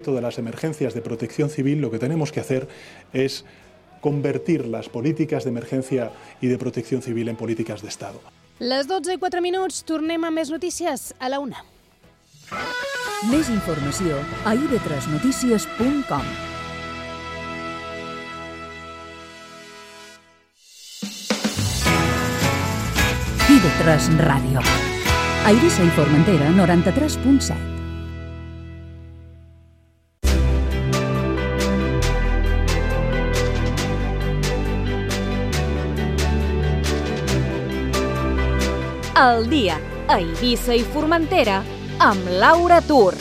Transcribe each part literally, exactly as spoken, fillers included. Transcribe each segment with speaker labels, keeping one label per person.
Speaker 1: momento de las emergencias de protección civil, lo que tenemos que hacer es convertir las políticas de emergencia y de protección civil en políticas de Estado.
Speaker 2: Les dotze i quatre minuts, tornem a més notícies a la una.
Speaker 3: Més informació a i ve tres notícies punt com. i ve tres Ràdio. A Eivissa i Formentera, noranta-tres punt set.
Speaker 4: El dia a Eivissa i Formentera amb Laura Tur.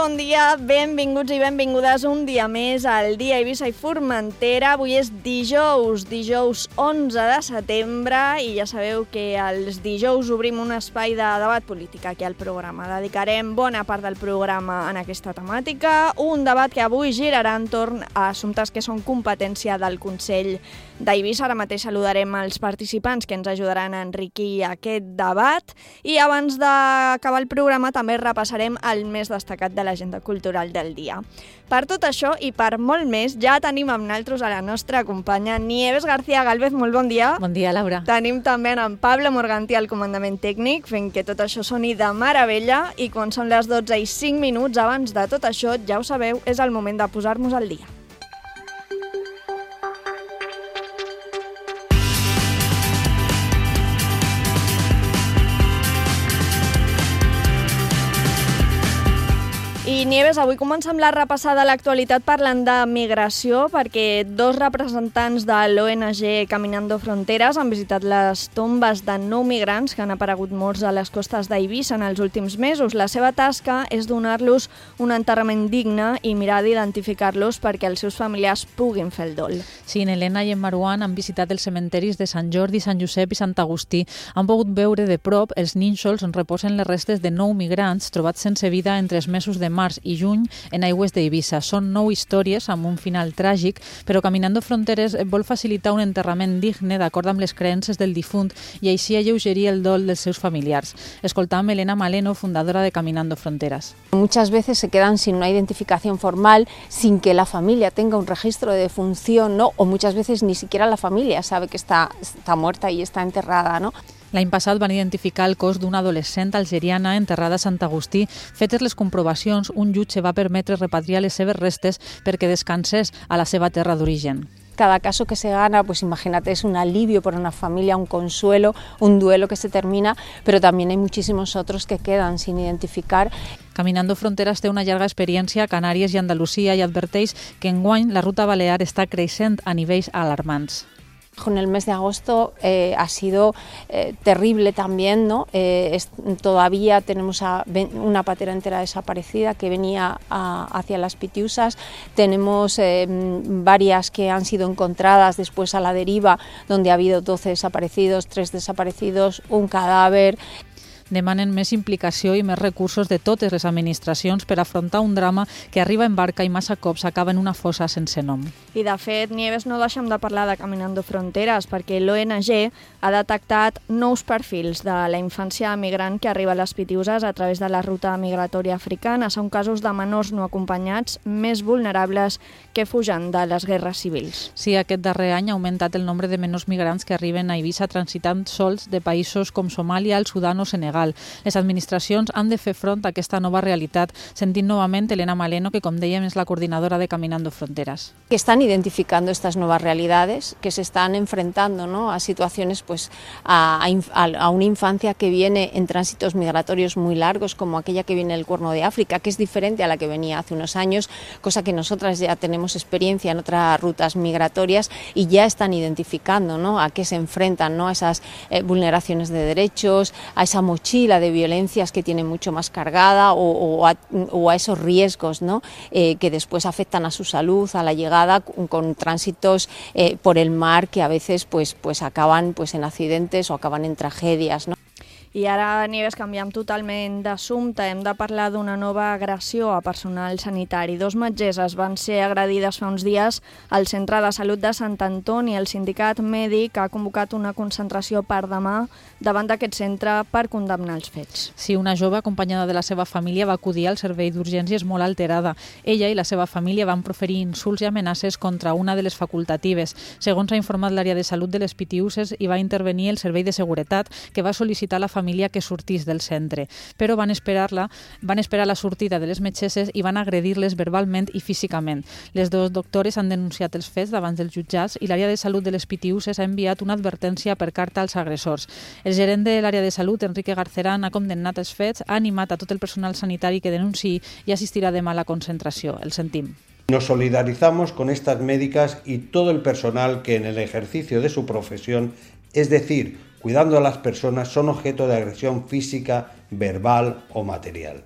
Speaker 5: Bon dia, benvinguts i benvingudes un dia més al dia Eivissa i Formentera. Avui és dijous, dijous onze de setembre i ja sabeu que els dijous obrim un espai de debat polític aquí al programa. Dedicarem bona part del programa en aquesta temàtica, un debat que avui girarà entorn a assumptes que són competència del Consell d'Eivissa. Ara mateix saludarem els participants que ens ajudaran a enriquir aquest debat i abans d'acabar el programa també repassarem el més destacat de l'agenda cultural del dia. Per tot això i per molt més, ja tenim amb nosaltres a la nostra companya Nieves García Gálvez. Molt bon dia.
Speaker 6: Bon dia, Laura.
Speaker 5: Tenim també en Pablo Morgantí al comandament tècnic, fent que tot això soni de meravella, i quan són les dotze i cinc minuts, abans de tot això, ja ho sabeu, és el moment de posar-nos al dia. I Nieves, avui comencem la repassada a l'actualitat parlant de migració, perquè dos representants de l'O N G Caminando Fronteras han visitat les tombes de nou migrants que han aparegut morts a les costes d'Eivissa en els últims mesos. La seva tasca és donar-los un enterrament digne i mirar d'identificar-los perquè els seus familiars puguin fer el dol.
Speaker 6: Sí, en Helena i en Maruán han visitat els cementeris de Sant Jordi, Sant Josep i Sant Agustí. Han pogut veure de prop els nínxols on reposen les restes de nou migrants trobats sense vida entre els mesos de març i juny en aigües d'Eivissa. Són nou històries amb un final tràgic, però Caminando Fronteres vol facilitar un enterrament digne d'acord amb les creences del difunt i així alleugerir el dol dels seus familiars. Escoltam Elena Maleno, fundadora de Caminando Fronteras.
Speaker 7: Muchas veces se quedan sin una identificación formal, sin que la familia tenga un registro de defunción, ¿no? O muchas veces ni siquiera la familia sabe que está, está muerta y está enterrada, ¿no?
Speaker 6: L'any passat van identificar el cos d'una adolescent algeriana enterrada a Sant Agustí. Fetes les comprovacions, un jutge va permetre repatriar les seves restes perquè descansés a la seva terra d'origen.
Speaker 7: Cada caso que se gana, pues imagínate, es un alivio para una familia, un consuelo, un duelo que se termina, pero también hay muchísimos otros que quedan sin identificar.
Speaker 6: Caminando Fronteras té una llarga experiència a Canàries i Andalusia i adverteix que enguany la ruta balear està creixent a nivells alarmants.
Speaker 7: En el mes de agosto eh, ha sido eh, terrible también, ¿no? Eh, es, todavía tenemos a una patera entera desaparecida que venía a, hacia las Pitiusas. Tenemos eh, varias que han sido encontradas después a la deriva, donde ha habido doce desaparecidos, tres desaparecidos, un cadáver.
Speaker 6: Demanen més implicació i més recursos de totes les administracions per afrontar un drama que arriba en barca i massa cops acaba en una fossa sense nom.
Speaker 5: I de fet, Nieves, no deixem de parlar de Caminando Fronteras perquè l'O N G ha detectat nous perfils de la infància migrant que arriba a les Pitiuses a través de la ruta migratòria africana. Són casos de menors no acompanyats més vulnerables que fugen de les guerres civils.
Speaker 6: Sí, aquest darrer any ha augmentat el nombre de menors migrants que arriben a Eivissa transitant sols de països com Somàlia, el Sudan o Senegal. Les administracions han de fer front a aquesta nova realitat. Sentim novament Elena Maleno, que com dèiem és la coordinadora de Caminando Fronteras.
Speaker 7: Que están identificando estas nuevas realidades, que se están enfrentando, ¿no? a situaciones, pues, a, a, a una infancia que viene en tránsitos migratorios muy largos, como aquella que viene del Cuerno de África, que es diferente a la que venía hace unos años, cosa que nosotras ya tenemos experiencia en otras rutas migratorias y ya están identificando, ¿no? a qué se enfrentan, ¿no? a esas eh, vulneraciones de derechos, a esa mochila de violencias que tiene mucho más cargada o, o, a, o a esos riesgos, ¿no? eh, que después afectan a su salud, a la llegada con, con tránsitos eh, por el mar que a veces pues, pues acaban pues, en accidentes o acaban en tragedias, ¿no?
Speaker 5: I ara, Nieves, canviem totalment d'assumpte. Hem de parlar d'una nova agressió a personal sanitari. Dos metgesses van ser agredides fa uns dies al Centre de Salut de Sant Antoni. El sindicat mèdic ha convocat una concentració per demà davant d'aquest centre per condemnar els fets.
Speaker 6: Sí, una jove acompanyada de la seva família va acudir al servei d'urgències molt alterada. Ella i la seva família van proferir insults i amenaces contra una de les facultatives. Segons ha informat l'àrea de salut de les Pitiüses, hi va intervenir el servei de seguretat, que va sol·licitar a la família que sortís del centre. Però van esperar-la, van esperar la sortida de les metgesses i van agredir-les verbalment i físicament. Les dues doctores han denunciat els fets davant dels jutjats i l'àrea de salut de les Pitiüses ha enviat una advertència per carta als agressors. El gerent de l'àrea de salut, Enrique Garcerán, ha condemnat els fets, ha animat a tot el personal sanitari que denunciï i assistirà demà a la concentració. El sentim.
Speaker 8: Nos solidarizamos con estas médicas y todo el personal que en el ejercicio de su profesión, es decir, cuidando a las personas, son objeto de agresión física, verbal o material.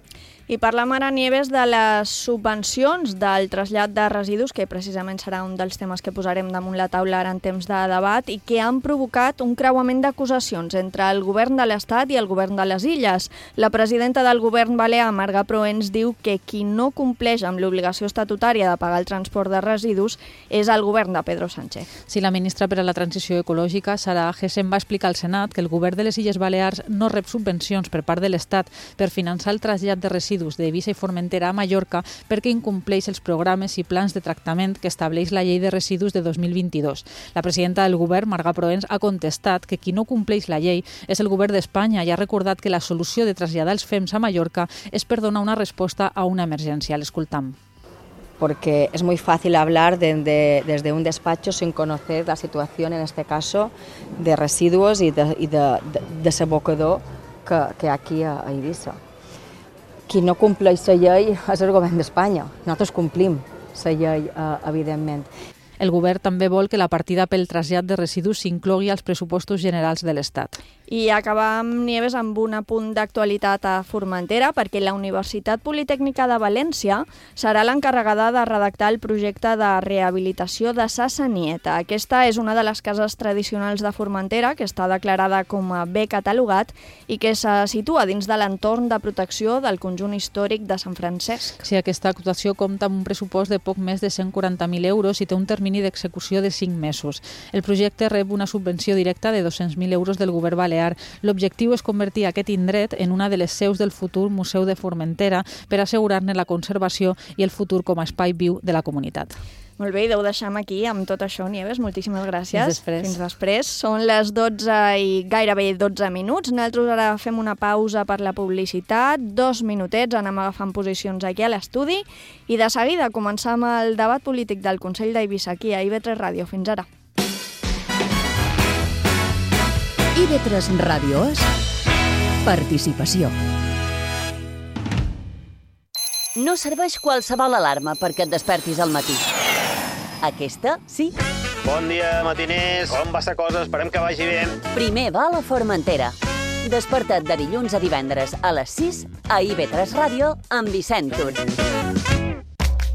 Speaker 5: I parlem ara, Nieves, de les subvencions del trasllat de residus, que precisament serà un dels temes que posarem damunt la taula ara en temps de debat, i que han provocat un creuament d'acusacions entre el govern de l'Estat i el govern de les Illes. La presidenta del govern balear, Marga Proens, diu que qui no compleix amb l'obligació estatutària de pagar el transport de residus és el govern de Pedro Sánchez.
Speaker 6: Sí, la ministra per a la Transició Ecològica, Sara Agesen, va explicar al Senat que el govern de les Illes Balears no rep subvencions per part de l'Estat per finançar el trasllat de residus d'Eivissa i Formentera a Mallorca perquè incompleix els programes i plans de tractament que estableix la llei de residus de dos mil vint-i-dos. La presidenta del govern, Marga Proens, ha contestat que qui no compleix la llei és el govern d'Espanya i ha recordat que la solució de traslladar els fems a Mallorca és per donar una resposta a una emergència. L'escoltam.
Speaker 9: Porque es muy fácil hablar de, de, desde un despacho sin conocer la situación, en este caso, de residuos y de, y de, de, de desabocador que, que hi ha aquí a, a Eivissa. Qui no compleix la llei és el govern d'Espanya. Nosaltres complim la llei, eh, evidentment.
Speaker 6: El govern també vol que la partida pel trasllat de residus s'inclogui als pressupostos generals de l'Estat.
Speaker 5: I acabam, Nieves, amb un apunt d'actualitat a Formentera, perquè la Universitat Politècnica de València serà l'encarregada de redactar el projecte de rehabilitació de Sa Sanieta. Aquesta és una de les cases tradicionals de Formentera que està declarada com a bé catalogat i que se situa dins de l'entorn de protecció del conjunt històric de Sant Francesc.
Speaker 6: Sí, aquesta actuació compta amb un pressupost de poc més de cent quaranta mil euros i té un termini d'execució de cinc mesos. El projecte rep una subvenció directa de dos-cents mil euros del govern balear. L'objectiu és convertir aquest indret en una de les seus del futur Museu de Formentera per assegurar-ne la conservació i el futur com a espai viu de la comunitat.
Speaker 5: Molt bé, i ho deixem aquí amb tot això, Nieves. Moltíssimes gràcies.
Speaker 6: Fins després.
Speaker 5: Fins després. Són les dotze i gairebé dotze minuts. Nosaltres ara fem una pausa per la publicitat. Dos minutets, anem agafant posicions aquí a l'estudi i de seguida començam el debat polític del Consell d'Eivissa aquí a I V tres Ràdio. Fins ara.
Speaker 3: I V tres Ràdio és participació.
Speaker 10: No serveix qualsevol alarma perquè et despertis al matí. Aquesta, sí.
Speaker 11: Bon dia, matiners. Com va la cosa? Esperem que vagi bé.
Speaker 10: Primer va a la Formentera. Desperta't de dilluns a divendres a les sis a I V tres Ràdio amb Vicent Tur.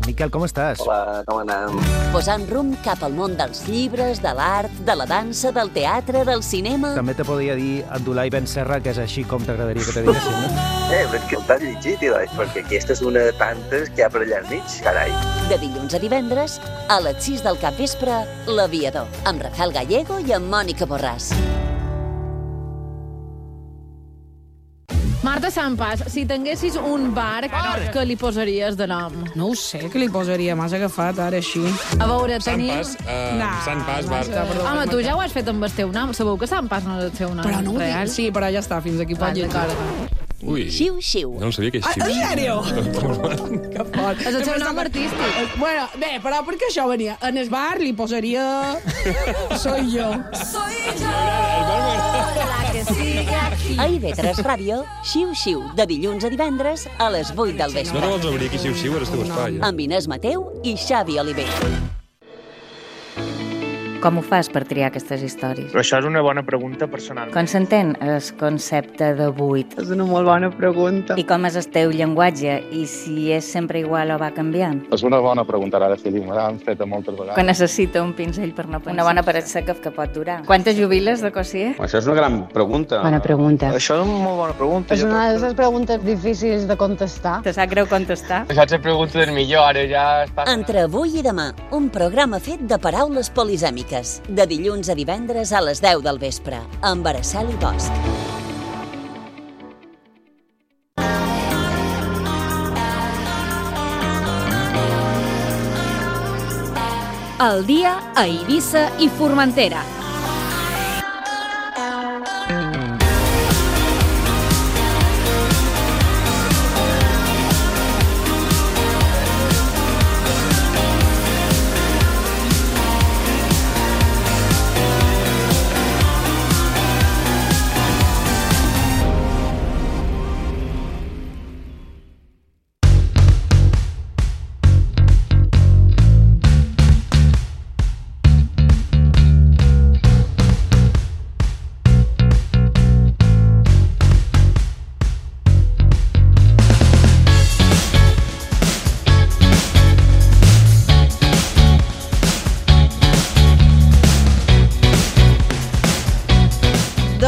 Speaker 12: Miquel, com estàs?
Speaker 11: Hola, com anem?
Speaker 10: Posant rumb cap al món dels llibres, de l'art, de la dansa, del teatre, del cinema...
Speaker 12: També te podria dir Abdulai Ben Serra, que és així com t'agradaria que te diguessin, no?
Speaker 11: Eh, però és que t'has llegit, Ilai, perquè aquesta és una de tantes que hi ha per allà al mig, carai.
Speaker 10: De dilluns a divendres, a les sis del capvespre, L'Aviador, amb Rafael Gallego i amb Mònica Borràs.
Speaker 13: Marta Sampas, si tinguessis un bar, què li posaries de nom?
Speaker 14: No ho sé, què li posaria? M'has agafat ara així.
Speaker 13: A veure, tenia...
Speaker 15: Sampas, uh, nah, Sampas, bar.
Speaker 13: Home, tu ja ho has fet amb el teu nom. Sabeu que Sampas no és el seu nom
Speaker 14: però no
Speaker 13: real?
Speaker 14: Sí, però ja està, fins aquí pot llegir.
Speaker 15: Ui,
Speaker 10: xiu, xiu.
Speaker 15: No sabia que és xiu.
Speaker 14: Ah, en sèrio?
Speaker 13: Que fort. És el seu nom artístic.
Speaker 14: Bueno, bé, però perquè això venia. En el bar li posaria... Soy yo.
Speaker 10: Soy yo. La que sigue aquí. A I V tres Ràdio, xiu, xiu, de dilluns a divendres a les vuit del vespre.
Speaker 15: No te vols obrir aquí, xiu, xiu, eres teu espai. Eh?
Speaker 10: Amb Inés Mateu i Xavi Oliver.
Speaker 16: Com ho fas per triar aquestes històries?
Speaker 17: Però això és una bona pregunta personal.
Speaker 16: Com s'entén el concepte de buit?
Speaker 18: És una molt bona pregunta.
Speaker 16: I com és el teu llenguatge? I si és sempre igual o va canviant?
Speaker 19: És una bona pregunta, ara sí, me l'han fet moltes vegades.
Speaker 16: Quan necessita un pinzell per no pensar. Una bona paret seca que pot durar. Quantes jubiles de cossier?
Speaker 19: Això és una gran pregunta.
Speaker 18: Bona pregunta.
Speaker 17: Això és una molt bona pregunta.
Speaker 18: És una de les preguntes difícils de contestar.
Speaker 16: Te sap greu contestar?
Speaker 17: Això és la pregunta del millor, ara ja està...
Speaker 10: Entre avui i demà, un programa fet de paraules polisèmiques. De dilluns a divendres a les deu del vespre, amb Araceli Bosch.
Speaker 4: El dia a Eivissa i Formentera.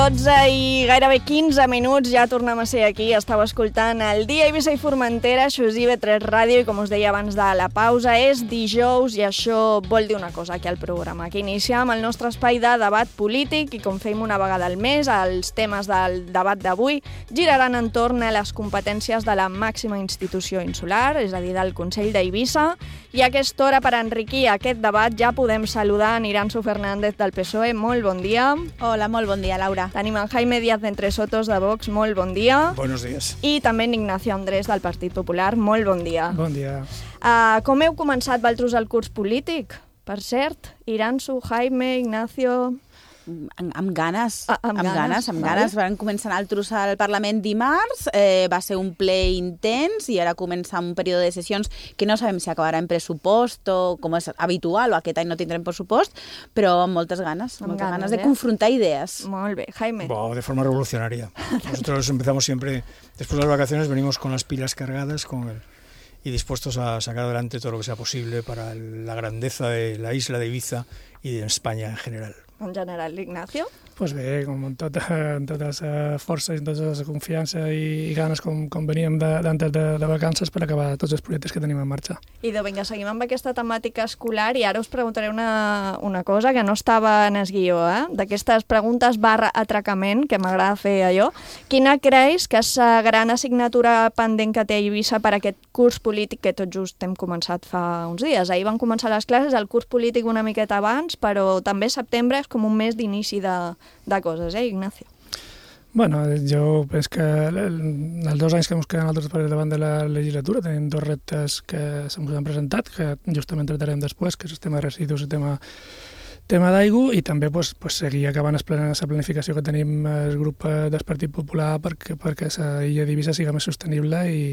Speaker 5: dotze i gairebé quinze minuts, ja tornem a ser aquí. Estàu escoltant el Dia Eivissa i Formentera, això és I V tres Ràdio, i com us deia abans de la pausa, és dijous, i això vol dir una cosa aquí al programa, que iniciem el nostre espai de debat polític, i com fem una vegada al mes, els temes del debat d'avui giraran entorn a les competències de la màxima institució insular, és a dir, del Consell d'Eivissa, i a aquesta hora, per enriquir aquest debat, ja podem saludar en Iranzu Fernández del P S O E. Molt bon dia.
Speaker 20: Hola, molt bon dia, Laura.
Speaker 5: Tenim en Jaime Díaz de Entre Sotos de Vox, molt bon dia.
Speaker 21: Buenos días.
Speaker 5: I també en Ignacio Andrés del Partit Popular, molt bon dia.
Speaker 21: Bon dia.
Speaker 5: Uh, com heu començat vosaltres el curs polític? Per cert, Iranzu, Jaime, Ignacio...
Speaker 20: Amb, amb ganes,
Speaker 5: ah, amb,
Speaker 20: amb ganes, amb ganes. Vale. Van començar nosaltres al Parlament dimarts, eh, va ser un ple intens i ara comença un període de sessions que no sabem si acabarà en pressupost o com és habitual, o aquest any no tindrem pressupost, però amb moltes ganes, amb moltes ganes, ganes de eh? confrontar idees.
Speaker 5: Molt bé, Jaime.
Speaker 21: Bo, de forma revolucionaria. Nosotros empezamos siempre, después de las vacaciones, venimos con las pilas cargadas con el, y dispuestos a sacar adelante todo lo que sea posible para la grandeza de la isla de Ibiza y de España en general.
Speaker 5: En general, Ignacio?
Speaker 21: Pues bé, com amb tota, amb tota la força i tota la confiança i, i ganes com, com veníem d'antes de, de, de vacances per acabar tots els projectes que tenim en marxa.
Speaker 5: Idò, vinga, seguim amb aquesta temàtica escolar i ara us preguntaré una, una cosa que no estava en el guió, eh? D'aquestes preguntes barra atracament, que m'agrada fer allò. Quina creus que és la gran assignatura pendent que té Eivissa per aquest curs polític que tot just hem començat fa uns dies? Ahir van començar les classes, el curs polític una miqueta abans, però també setembre és com un mes d'inici de, de coses, eh, Ignacio?
Speaker 21: Bueno, jo penso que els dos anys que ens queden altres per davant de la legislatura tenim dos reptes que se'ns han presentat, que justament tratarem després, que és el tema de residus i el tema, tema d'aigua, i també pues, pues, seguir acabant la planificació que tenim el grup del Partit Popular perquè, perquè la illa d'Eivissa siga més sostenible i,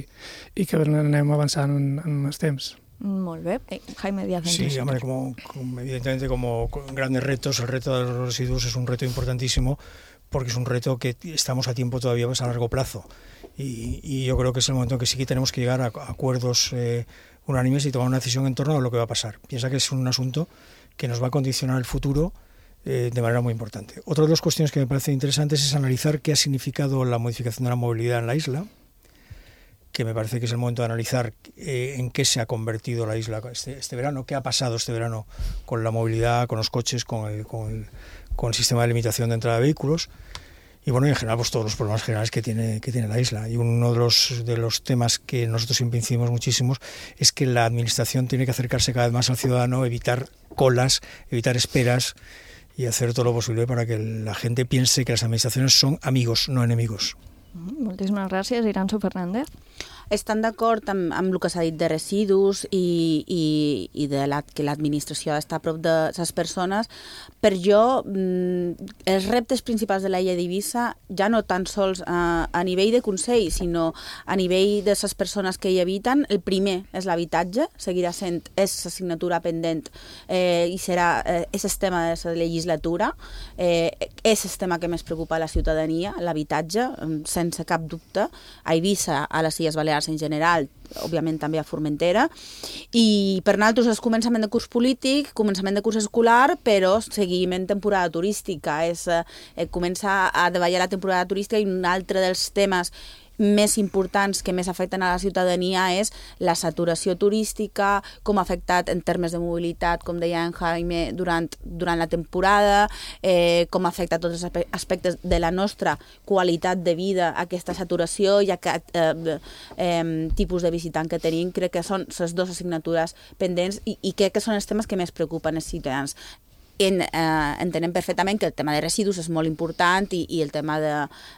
Speaker 21: i que anem avançant en, en els temps.
Speaker 5: Molt bé. Eh, Jaime Díaz.
Speaker 21: Sí, hombre, como, como, evidentemente como grandes retos, el reto de los residuos es un reto importantísimo porque es un reto que estamos a tiempo todavía más a largo plazo y, y yo creo que es el momento en que sí que tenemos que llegar a, a acuerdos eh, unánimes y tomar una decisión en torno a lo que va a pasar. Piensa que es un asunto que nos va a condicionar el futuro eh, de manera muy importante. Otra de las cuestiones que me parecen interesantes es analizar qué ha significado la modificación de la movilidad en la isla, que me parece que es el momento de analizar eh, en qué se ha convertido la isla este, este verano, qué ha pasado este verano con la movilidad, con los coches, con el, con el, con el sistema de limitación de entrada de vehículos y bueno, y en general pues todos los problemas generales que tiene, que tiene la isla. Y uno de los, de los temas que nosotros siempre incidimos muchísimo es que la administración tiene que acercarse cada vez más al ciudadano, evitar colas, evitar esperas y hacer todo lo posible para que la gente piense que las administraciones son amigos, no enemigos.
Speaker 5: Moltíssimes gràcies, Iranzu Fernández.
Speaker 20: estan d'acord amb, amb el que s'ha dit de residus i, i, i de la, que l'administració està a prop de les persones. Per jo, els reptes principals de la llei d'Eivissa, ja no tan sols a, a nivell de Consell, sinó a nivell de les persones que hi habiten, el primer és l'habitatge, seguirà sent, és l'assignatura pendent eh, i serà, eh, és el tema de la legislatura, eh, és el tema que més preocupa a la ciutadania, l'habitatge, sense cap dubte, a Eivissa, a les Illes Balears en general, òbviament també a Formentera, i per nosaltres és començament de curs polític, començament de curs escolar, però seguim en temporada turística, és eh, començar a davallar la temporada turística, i un altre dels temes més importants que més afecten a la ciutadania és la saturació turística, com ha afectat en termes de mobilitat, com deia en Jaime, durant, durant la temporada, eh, com afecta tots els aspectes de la nostra qualitat de vida, aquesta saturació i aquest eh, eh, tipus de visitant que tenim. Crec que són les dues assignatures pendents i, i crec que són els temes que més preocupen els ciutadans. En, eh, entenem perfectament que el tema de residus és molt important i, i el tema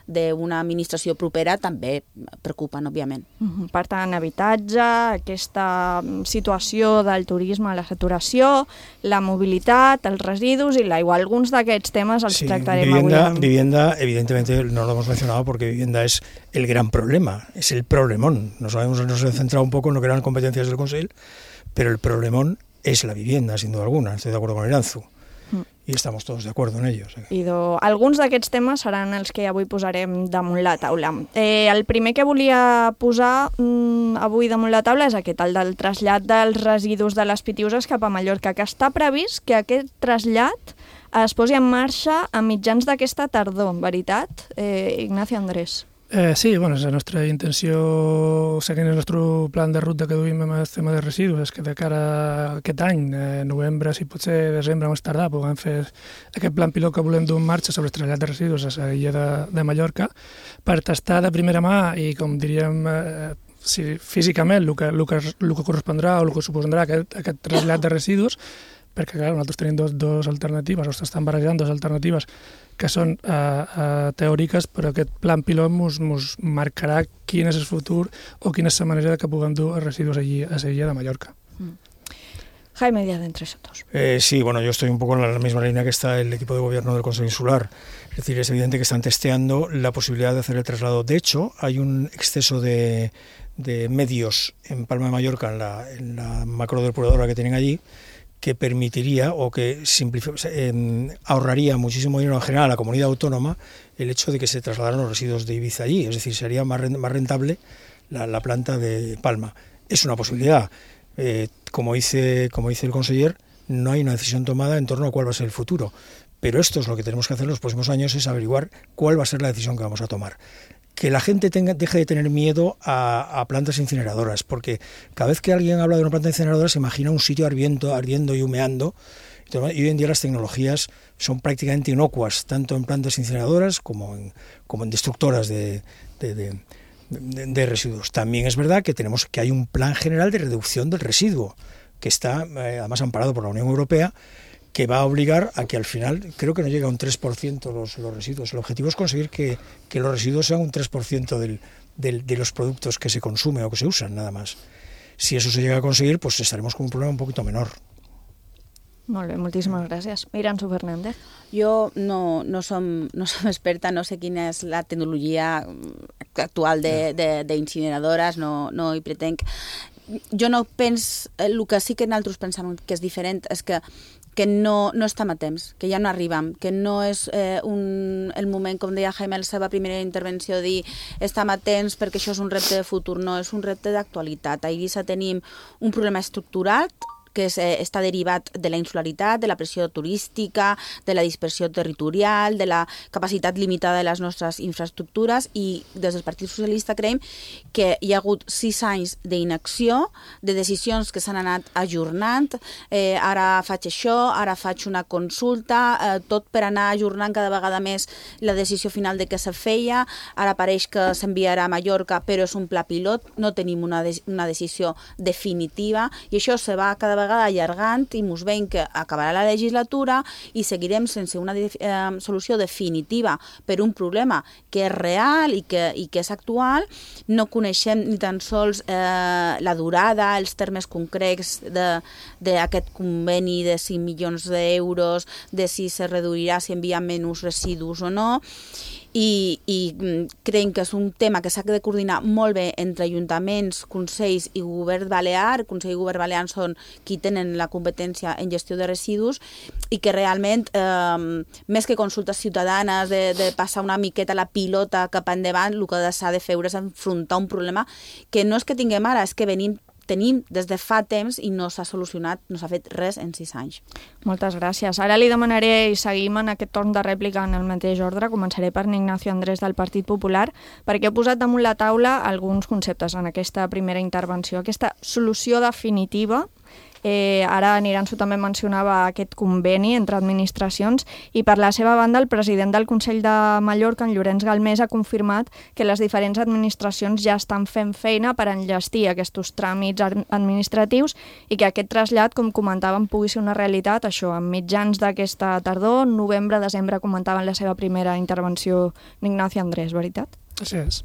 Speaker 20: d'una administració propera també preocupen, òbviament.
Speaker 5: Uh-huh. Per tant, habitatge, aquesta situació del turisme, la saturació, la mobilitat, els residus i l'aigua. Alguns d'aquests temes els
Speaker 21: sí,
Speaker 5: tractarem
Speaker 21: vivienda,
Speaker 5: avui.
Speaker 21: Vivienda, evidentemente, no lo hemos mencionado porque vivienda es el gran problema, es el problemón. Nos hemos, nos hemos centrado un poco en lo que eran competencias del Consell, pero el problemón es la vivienda, sin duda alguna. Estoy de acuerdo con Iranzu. I estem tots d'acord en ells.
Speaker 5: Idò, alguns d'aquests temes seran els que avui posarem damunt la taula. Eh, el primer que volia posar mm, avui damunt la taula és aquest, el del trasllat dels residus de les Pitiüses cap a Mallorca, que està previst que aquest trasllat es posi en marxa a mitjans d'aquesta tardor, veritat, eh, Ignacio Andrés?
Speaker 1: Eh, sí, bueno, és la nostra intenció, seguint el nostre plan de ruta que duim amb el tema de residus, és que de cara a aquest any, eh, novembre, si potser desembre més tardar, puguem fer aquest plan pilot que volem dur en marxa sobre el trasllat de residus a l'illa de, de Mallorca, per tastar de primera mà i, com diríem, eh, si, físicament el que, el, que, el que correspondrà o el que suposarà aquest, aquest trasllat de residus, perquè clar, nosaltres tenim dos, dos alternatives, o s'estan barrejant dues alternatives que són eh, eh, teòriques, però aquest plan pilot ens mos marcarà quin és el futur o quina és la manera de que puguem dur els residus allí, a la illa de Mallorca.
Speaker 5: Mm. Jaime Díaz de Entre Sotos.
Speaker 21: Eh, sí, bueno, yo estoy un poco en la misma línea que está el equipo de gobierno del Consejo Insular. Es decir, es evidente que están testeando la posibilidad de hacer el traslado. De hecho, hay un exceso de, de medios en Palma de Mallorca, en la, en la macrodepuradora que tienen allí, que permitiría o que eh, ahorraría muchísimo dinero en general a la comunidad autónoma el hecho de que se trasladaran los residuos de Ibiza allí. Es decir, sería más rentable la, la planta de Palma. Es una posibilidad. Eh, como, dice, como dice el conseller, no hay una decisión tomada en torno a cuál va a ser el futuro. Pero esto es lo que tenemos que hacer en los próximos años, es averiguar cuál va a ser la decisión que vamos a tomar. Que la gente tenga, deje de tener miedo a, a plantas incineradoras, porque cada vez que alguien habla de una planta incineradora se imagina un sitio ardiendo, ardiendo y humeando, y hoy en día las tecnologías son prácticamente inocuas, tanto en plantas incineradoras como en, como en destructoras de, de, de, de, de residuos. También es verdad que tenemos que hay un plan general de reducción del residuo, que está eh, además amparado por la Unión Europea, que va a obligar a que al final, creo que no llega a un tres por ciento los, los residuos. El objetivo es conseguir que, que los residuos sean un tres por ciento del, del, de los productos que se consumen o que se usan, nada más. Si eso se llega a conseguir, pues estaremos con un problema un poquito menor.
Speaker 5: Molt bé, moltíssimes gràcies. Iranzu Fernández.
Speaker 20: Jo no, no, som, no som experta, no sé quina és la tecnologia actual d'incineradores, no, no hi pretenc. Jo no penso, el que sí que nosaltres pensem que és diferent és que que no, no estem a temps, que ja no arribem, que no és eh, un, el moment, com deia Jaime en la seva primera intervenció, dir estem a temps perquè això és un repte de futur, no, és un repte d'actualitat. A Eivissa tenim un problema estructural que és, eh, està derivat de la insularitat, de la pressió turística, de la dispersió territorial, de la capacitat limitada de les nostres infraestructures, i des del Partit Socialista creiem que hi ha hagut sis anys d'inacció, de decisions que s'han anat ajornant, eh, ara faig això, ara faig una consulta, eh, tot per anar ajornant cada vegada més la decisió final de què se feia, ara pareix que s'enviarà a Mallorca, però és un pla pilot, no tenim una, de una decisió definitiva, i això se va cada vegada vegada allargant i mos veiem que acabarà la legislatura i seguirem sense una eh, solució definitiva per un problema que és real i que, i que és actual. No coneixem ni tan sols eh, la durada, els termes concrets d'aquest conveni de cinc milions d'euros, de si se reduirà, si envia menys residus o no. I, i creiem que és un tema que s'ha de coordinar molt bé entre ajuntaments, consells i govern balear. Consell i govern balear són qui tenen la competència en gestió de residus i que realment, eh, més que consultes ciutadanes, de, de passar una miqueta la pilota cap endavant, el que s'ha de fer és enfrontar un problema que no és que tinguem ara, és que venim tenim des de fa temps i no s'ha solucionat, no s'ha fet res en sis anys.
Speaker 5: Moltes gràcies. Ara li demanaré, i seguim en aquest torn de rèplica en el mateix ordre, començaré per Ignacio Andrés del Partit Popular, perquè he posat damunt la taula alguns conceptes en aquesta primera intervenció. Aquesta solució definitiva, eh, ara Niranzo també mencionava aquest conveni entre administracions, i per la seva banda el president del Consell de Mallorca, en Llorenç Galmés, ha confirmat que les diferents administracions ja estan fent feina per enllestir aquests tràmits administratius i que aquest trasllat, com comentàvem, pugui ser una realitat, això, en mitjans d'aquesta tardor, novembre, desembre, comentava en la seva primera intervenció Ignacio Andrés, veritat?
Speaker 1: Així és.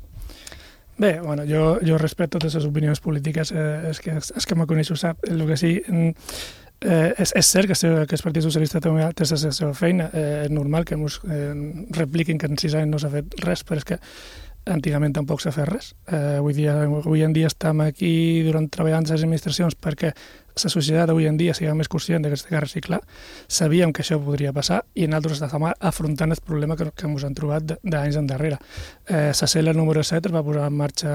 Speaker 1: Bé, bueno, jo, jo respecto totes les opinions polítiques, eh, és que, és que me coneix ho sap. El que sí, eh, és, és cert que, que el Partit Socialista també té la seva feina, eh, és normal que ens eh, repliquin que en sis anys no s'ha fet res, però és que antigament tampoc s'ha fet res. Eh, avui, dia, avui en dia estem aquí durant treballant les administracions perquè la societat avui en dia sigui més conscient que s'ha de reciclar. Sabíem que això podria passar i nosaltres estem afrontant el problema que, que ens han trobat d'anys endarrere. Eh, la C E L número set es va posar en marxa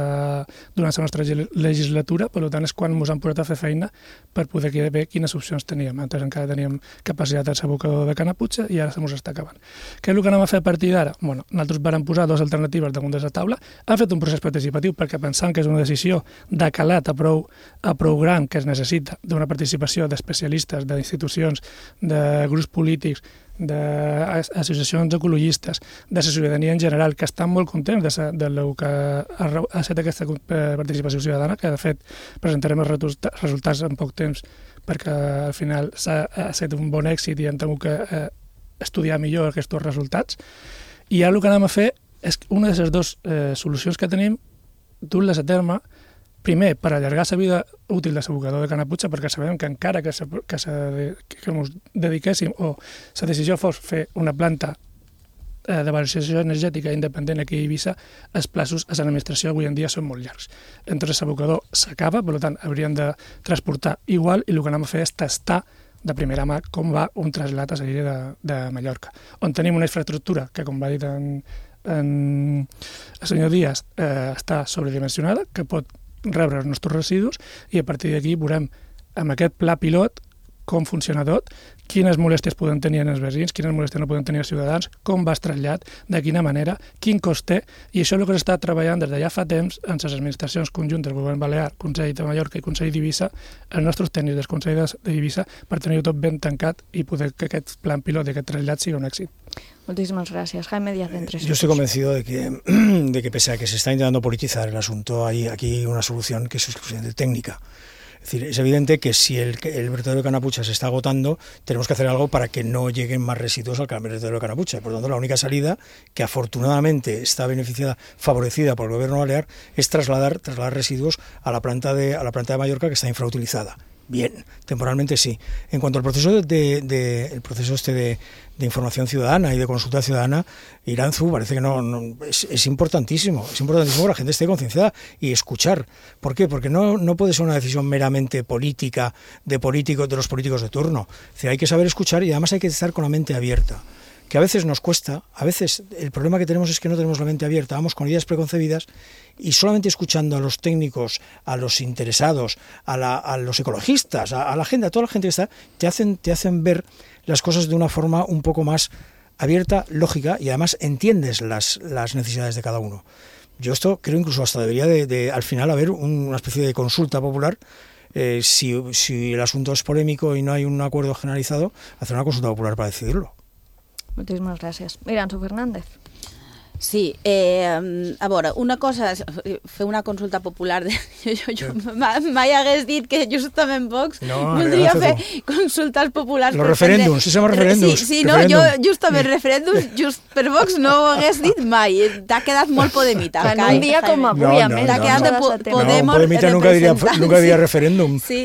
Speaker 1: durant la nostra legislatura, per tant és quan ens han posat a fer feina per poder veure quines opcions teníem. Antes encara teníem capacitat de abocador de Canaputxa i ara se ens està acabant. Què és el que anem a fer a partir d'ara? Bueno, nosaltres vam posar dues alternatives damunt de la taula, han fet un procés participatiu perquè pensant que és una decisió de calat a prou, a prou gran que es necessita d'una participació d'especialistes, d'institucions, de grups polítics, d'associacions ecologistes, de la ciutadania en general, que estan molt contents de, sa, de lo que ha, ha estat aquesta participació ciutadana, que de fet presentarem els resultats en poc temps perquè al final s'ha estat un bon èxit i hem tingut que eh, estudiar millor aquests resultats. I ara el que anem a fer és una de les dues eh, solucions que tenim, dur-les a terme, primer, per allargar la vida útil de l'abocador de Canaputxa, perquè sabem que encara que, se, que, se, que ens dediquéssim o la decisió fos fer una planta eh, de valoració energètica independent aquí a Eivissa, els plaços a l'administració avui en dia són molt llargs. Entonces l'abocador s'acaba, per tant, hauríem de transportar igual i el que anem a fer és tastar de primera mà com va un trasllat a la illa de, de Mallorca, on tenim una infraestructura que, com va dir en, en el senyor Díaz, eh, està sobredimensionada, que pot rebre els nostres residus i a partir d'aquí veurem amb aquest pla pilot com funciona tot, quines molèsties poden tenir els veïns, quines molèsties no poden tenir els ciutadans, com va el trasllat, de quina manera, quin cost té, i això és el que s'està treballant des de ja fa temps en les administracions conjuntes, el Govern Balear, Consell de Mallorca i Consell d'Eivissa, els nostres tècnics del Consell d'Eivissa, per tenir-ho tot ben tancat i poder que aquest plan pilot i aquest trasllat sigui un èxit.
Speaker 5: Muchísimas gracias. Jaime Díaz de Entre
Speaker 21: Yo estoy convencido de que, de que pese a que se está intentando politizar el asunto, hay aquí una solución que es exclusivamente técnica. Es decir, es evidente que si el, el vertedero de Canaputxa se está agotando, tenemos que hacer algo para que no lleguen más residuos al vertedero de Canaputxa. Por lo tanto, la única salida, que afortunadamente está beneficiada, favorecida por el gobierno balear, es trasladar, trasladar residuos a la planta de, a la planta de Mallorca, que está infrautilizada. Bien, temporalmente sí. En cuanto al proceso de, de, de el proceso este de, de información ciudadana y de consulta ciudadana, Iranzu parece que no, no es, es importantísimo, es importantísimo que la gente esté concienciada y escuchar. ¿Por qué? Porque no, no puede ser una decisión meramente política de políticos, de los políticos de turno. Es decir, hay que saber escuchar y además hay que estar con la mente abierta. Que a veces nos cuesta, a veces el problema que tenemos es que no tenemos la mente abierta, vamos con ideas preconcebidas y solamente escuchando a los técnicos, a los interesados, a, la, a los ecologistas, a, a la gente, a toda la gente que está, te hacen, te hacen ver las cosas de una forma un poco más abierta, lógica, y además entiendes las, las necesidades de cada uno. Yo esto creo incluso hasta debería de, de al final haber una especie de consulta popular. Eh, si, si el asunto es polémico y no hay un acuerdo generalizado, hacer una consulta popular para decidirlo.
Speaker 5: Muchísimas gracias. Iranzu Fernández.
Speaker 20: Sí, eh, a veure, una cosa és fer una consulta popular. De, jo, jo, jo mai hagués dit que justament Vox
Speaker 21: no,
Speaker 20: voldria fer consultes populars.
Speaker 21: Los referèndums, si som referèndums.
Speaker 20: Sí, sí, no, jo justament referèndums just per Vox no ho hagués dit mai. T'ha quedat molt Podemita.
Speaker 5: En un dia com avui,
Speaker 21: no,
Speaker 5: a més.
Speaker 21: No,
Speaker 20: T'ha quedat de po Podemos
Speaker 21: no, Podemita nunca diria, nunca diria referèndum.
Speaker 20: Sí,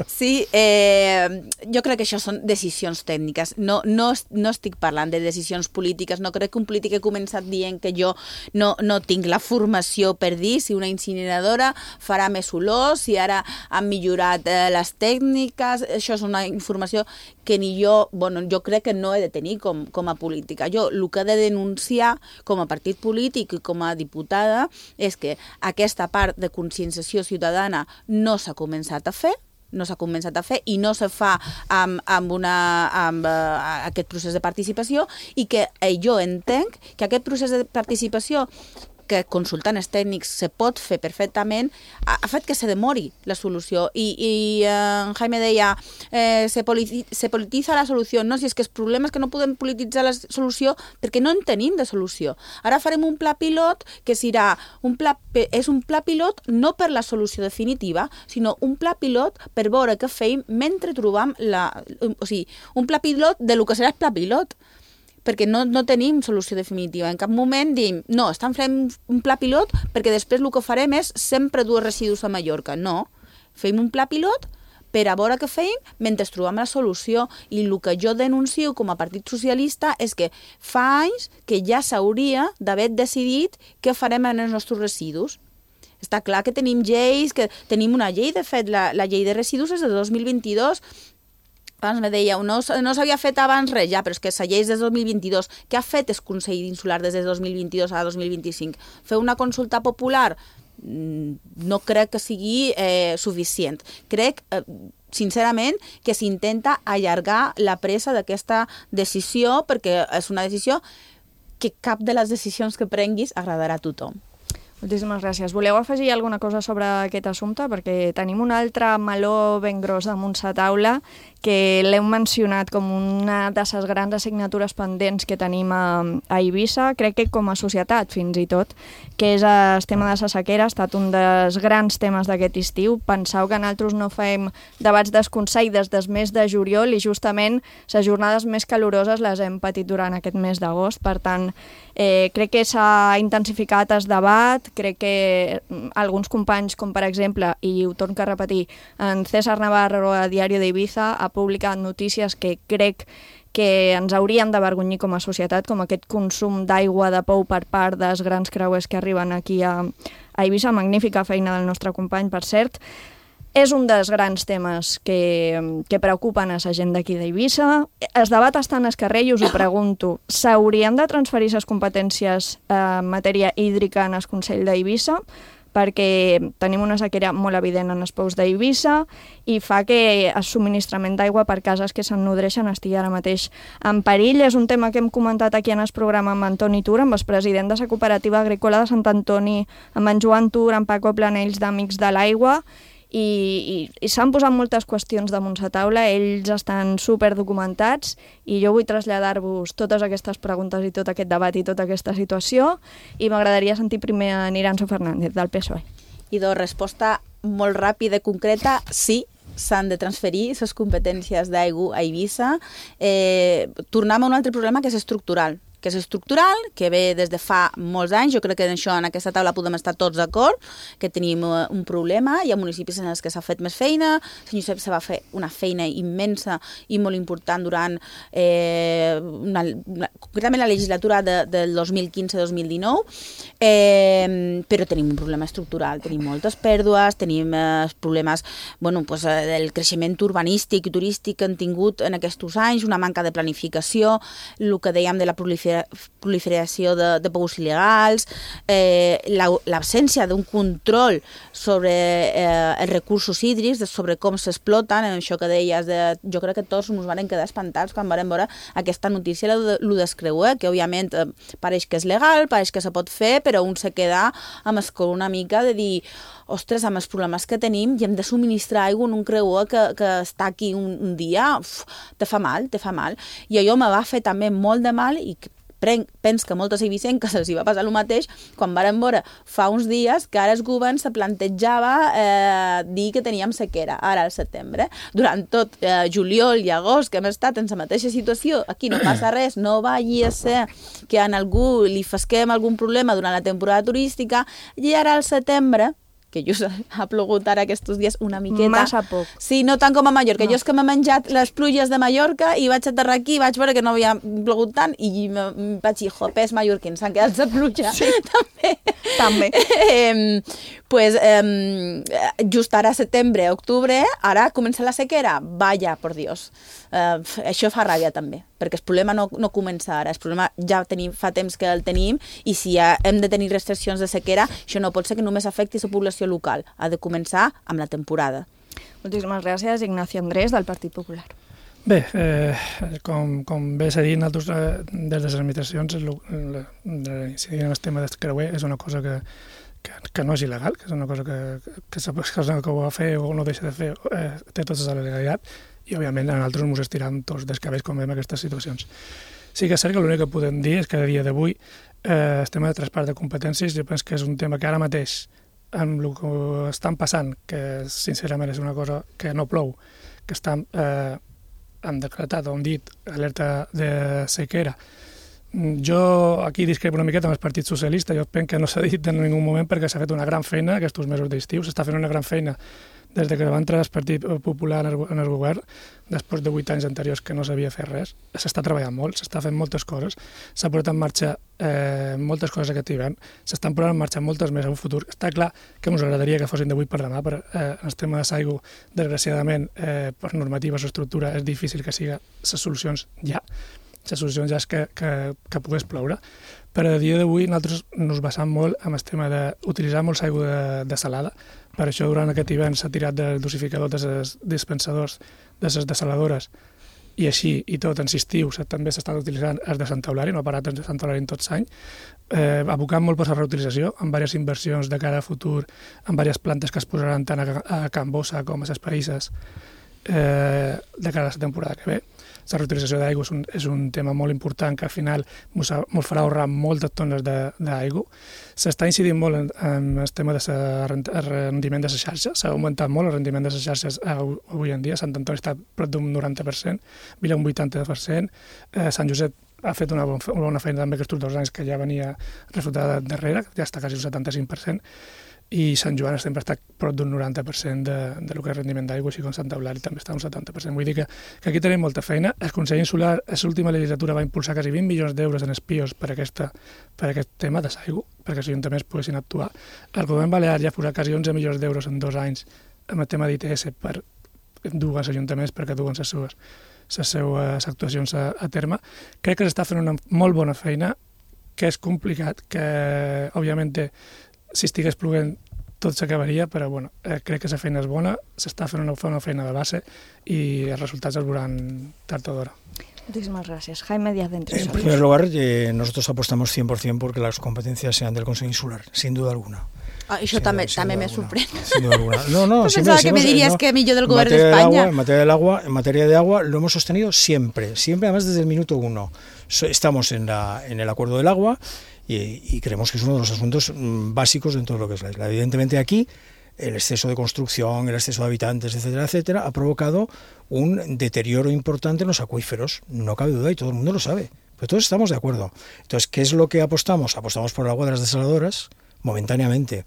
Speaker 20: sí eh, jo crec que això són decisions tècniques. No, no, no estic parlant de decisions polítiques. No crec que un polític he començat dient que jo no, no tinc la formació per dir si una incineradora farà més olor, si ara han millorat eh, les tècniques. Això és una informació que ni jo, bueno, jo crec que no he de tenir com, com a política. Jo el que he de denunciar com a partit polític i com a diputada és que aquesta part de conscienciació ciutadana no s'ha començat a fer, no s'ha començat a fer i no se fa amb, amb, una, amb uh, aquest procés de participació i que eh, jo entenc que aquest procés de participació que consultant els tècnics se pot fer perfectament, ha, ha fet que se demori la solució. I, i eh, Jaime deia, eh, se, politi se polititza la solució. No, si és que el problema és que no podem polititzar la solució perquè no en tenim de solució. Ara farem un pla pilot que serà un pla, és un pla pilot no per la solució definitiva, sinó un pla pilot per veure què feim mentre trobam la... O sigui, un pla pilot de lo que serà el pla pilot, perquè no, no tenim solució definitiva. En cap moment diem, no, estan fent un pla pilot perquè després el que farem és sempre dur residus a Mallorca. No, fem un pla pilot per a veure què feim mentre trobem la solució. I el que jo denuncio com a Partit Socialista és que fa anys que ja s'hauria d'haver decidit què farem amb els nostres residus. Està clar que tenim lleis, que tenim una llei, de fet, la, la llei de residus és de dos mil vint-i-dos. Abans me deia, no, no s'havia fet abans res ja, però és que la llei és de dos mil vint-i-dos. Què ha fet el Consell Insular des de dos mil vint-i-dos a dos mil vint-i-cinc? Fer una consulta popular? No crec que sigui eh, suficient. Crec, eh, sincerament, que s'intenta allargar la presa d'aquesta decisió perquè és una decisió que cap de les decisions que prenguis agradarà a tothom.
Speaker 5: Moltíssimes gràcies. Voleu afegir alguna cosa sobre aquest assumpte? Perquè tenim un altre meló ben gros damunt la taula que l'hem mencionat com una de les grans assignatures pendents que tenim a, a Eivissa, crec que com a societat fins i tot, que és el tema de la sequera. Ha estat un dels grans temes d'aquest estiu. Penseu que nosaltres no fem debats del Consell des del mes de juliol i justament les jornades més caloroses les hem patit durant aquest mes d'agost. Per tant, eh, crec que s'ha intensificat el debat. Crec que alguns companys, com per exemple, i ho torno a repetir, en César Navarro a Diario de Ibiza ha publicat notícies que crec que ens haurien d'avergonyir com a societat, com aquest consum d'aigua de pou per part dels grans creuers que arriben aquí a, a Eivissa. Magnífica feina del nostre company, per cert. És un dels grans temes que, que preocupen a la gent d'aquí d'Eivissa. El debat està en el carrer i us ho pregunto. S'haurien de transferir les competències en matèria hídrica en el Consell d'Eivissa? Perquè tenim una sequera molt evident en els pous d'Eivissa i fa que el subministrament d'aigua per cases que se'n nodreixen estigui ara mateix en perill. És un tema que hem comentat aquí en el programa amb Antoni Tur, amb el president de la Cooperativa Agrícola de Sant Antoni, amb en Joan Tur, amb Paco Planells d'Amics de l'Aigua, i, i, i s'han posat moltes qüestions damunt la taula. Ells estan superdocumentats i jo vull traslladar-vos totes aquestes preguntes i tot aquest debat i tota aquesta situació, i m'agradaria sentir primer a Iranzo Fernández, del P S O E.
Speaker 20: I de resposta molt ràpida i concreta, sí, s'han de transferir les competències d'aigua a Eivissa. Eh, tornem a un altre problema que és estructural, que és estructural, que ve des de fa molts anys. Jo crec que en això, en aquesta taula, podem estar tots d'acord, que tenim un problema. Hi ha municipis en els que s'ha fet més feina. Sant Josep se va fer una feina immensa i molt important durant eh, una, una, concretament la legislatura de, del dos mil quinze dos mil dinou, eh, però tenim un problema estructural, tenim moltes pèrdues, tenim eh, problemes bueno, pues, eh, del creixement urbanístic i turístic que han tingut en aquests anys, una manca de planificació, el que dèiem de la proliferació proliferació de, de pous il·legals, eh, l'absència d'un control sobre eh, els recursos hídrics, sobre com s'exploten, això que deies, de, jo crec que tots ens van quedar espantats quan vam veure aquesta notícia, el descreuer, que òbviament eh, pareix que és legal, pareix que se pot fer, però un se queda amb escol una mica de dir, ostres, amb els problemes que tenim i hem de subministrar aigua en un creuer que, que està aquí un, un dia, uf, te fa mal, te fa mal. I allò me va fer també molt de mal i Pens que moltes eivissenques els hi va passar el mateix quan varen veure fa uns dies que ara el govern se plantejava eh, dir que teníem sequera, ara al setembre. Durant tot eh, juliol i agost que hem estat en la mateixa situació, aquí no passa res, no vagi a ser que a algú li fasquem algun problema durant la temporada turística, i ara al setembre, que just ha plogut ara aquests dies una miqueta.
Speaker 5: Massa poc.
Speaker 20: Sí, no tant com a Mallorca. No. Jo és que m'he menjat les pluges de Mallorca i vaig aterrar aquí i vaig veure que no havia plogut tant i vaig dir, jopés mallorquins, s'han quedat de pluja.
Speaker 5: Sí.
Speaker 20: També.
Speaker 5: També.
Speaker 20: Eh, pues, eh, just ara, setembre, octubre, ara comença la sequera. Vaya, por Dios. Eh, això fa ràbia també, perquè el problema no, no comença ara, el problema ja tenim, fa temps que el tenim, i si ja hem de tenir restriccions de sequera, això no pot ser que només afecti la població local, ha de començar amb la temporada.
Speaker 5: Moltíssimes gràcies, Ignacio Andrés, del Partit Popular.
Speaker 1: Bé, eh, com, com bé s'ha dit, nosaltres eh, des de les administracions incidir en el tema del creuer és una cosa que, que, que no és il·legal, que és una cosa que, que, que, que ho va fer o no deixa de fer, eh, té tota la legalitat, i òbviament a nosaltres ens estiram tots dels cabells quan veiem aquestes situacions. Sí que és cert que l'únic que podem dir és que a dia d'avui eh, el tema de traspàs de competències jo penso que és un tema que ara mateix amb el que estan passant, que sincerament és una cosa que no plou, que estan eh, han decretat o han dit alerta de sequera. Jo aquí discrepo una miqueta amb el Partit Socialista, jo penso que no s'ha dit en ningú moment perquè s'ha fet una gran feina aquests mesos d'estiu, s'està fent una gran feina des de que va entrar el Partit Popular en el govern, després de vuit anys anteriors que no s'havia fet res, s'està treballant molt, s'està fent moltes coses, s'ha posat en marxa eh, moltes coses aquest hivern, s'estan posant en marxa moltes més en un futur. Està clar que ens agradaria que fossin d'avui per demà, però eh, en el tema de l'aigua, desgraciadament, eh, per normativa o estructura, és difícil que siga les solucions ja. Les solucions ja és que, que, que pogués ploure. Però a dia d'avui nosaltres ens basam molt en el tema d'utilitzar molts aigua de, de salada. Per això durant aquest hivern s'ha tirat del dosificador dels dispensadors de les desaladores i així i tot en estiu també s'estan utilitzant els de Sant Eulària, no ha parat els de Sant Eulària en tot l'any, eh, abocant molt per la reutilització, amb diverses inversions de cara a futur, amb diverses plantes que es posaran tant a, a Can Bossa com a les Païses eh, de cara a la temporada que ve. La reutilització d'aigua és, un, és un tema molt important que al final ens farà ahorrar moltes tones d'aigua. S'està incidint molt en, en el tema del rendiment de les xarxes, s'ha augmentat molt el rendiment de les xarxes avui en dia, Sant Antoni està prop d'un noranta per cent, Vila un vuitanta per cent, eh, Sant Josep ha fet una bona feina també aquests dos anys que ja venia reflotada darrere, ja està quasi un setanta-cinc per cent, i Sant Joan sempre està prop d'un noranta per cent de, de lo que és rendiment d'aigua, així com Sant Eulària també està un setanta per cent. Vull dir que, que aquí tenim molta feina. El Consell Insular, a l'última legislatura, va impulsar quasi vint milions d'euros en espios per, aquesta, per aquest tema de l'aigua, perquè els ajuntaments poguessin actuar. El govern balear ja ha posat quasi onze milions d'euros en dos anys amb el tema d'I T S per dues ajuntaments perquè duen les seues, les seues actuacions a, a terme. Crec que s'està fent una molt bona feina, que és complicat, que, òbviament, si estigués plovent tot s'acabaria, però bueno, eh, crec que la feina és bona, s'està fent una, una feina de base i els resultats els veuran tard o d'hora.
Speaker 5: Muchísimas gracias. Jaime Díaz de Entre
Speaker 21: En primer lugar, eh, nosotros apostamos cien por cien porque las competencias sean del Consejo Insular, sin duda alguna.
Speaker 20: Ah, això també, també me sorprèn.
Speaker 21: Sin duda alguna. No, no,
Speaker 20: pensaba que me dirías no, que millor del Gobierno de España.
Speaker 21: Agua, en materia del agua, en materia de agua lo hemos sostenido siempre, siempre además desde el minuto uno. Estamos en, la, en el acuerdo del agua y, y creemos que es uno de los asuntos básicos dentro de lo que es la isla. Evidentemente aquí el exceso de construcción, el exceso de habitantes, etcétera, etcétera, ha provocado un deterioro importante en los acuíferos, no cabe duda y todo el mundo lo sabe, pero todos estamos de acuerdo. Entonces, ¿qué es lo que apostamos? Apostamos por el agua de las desaladoras, momentáneamente.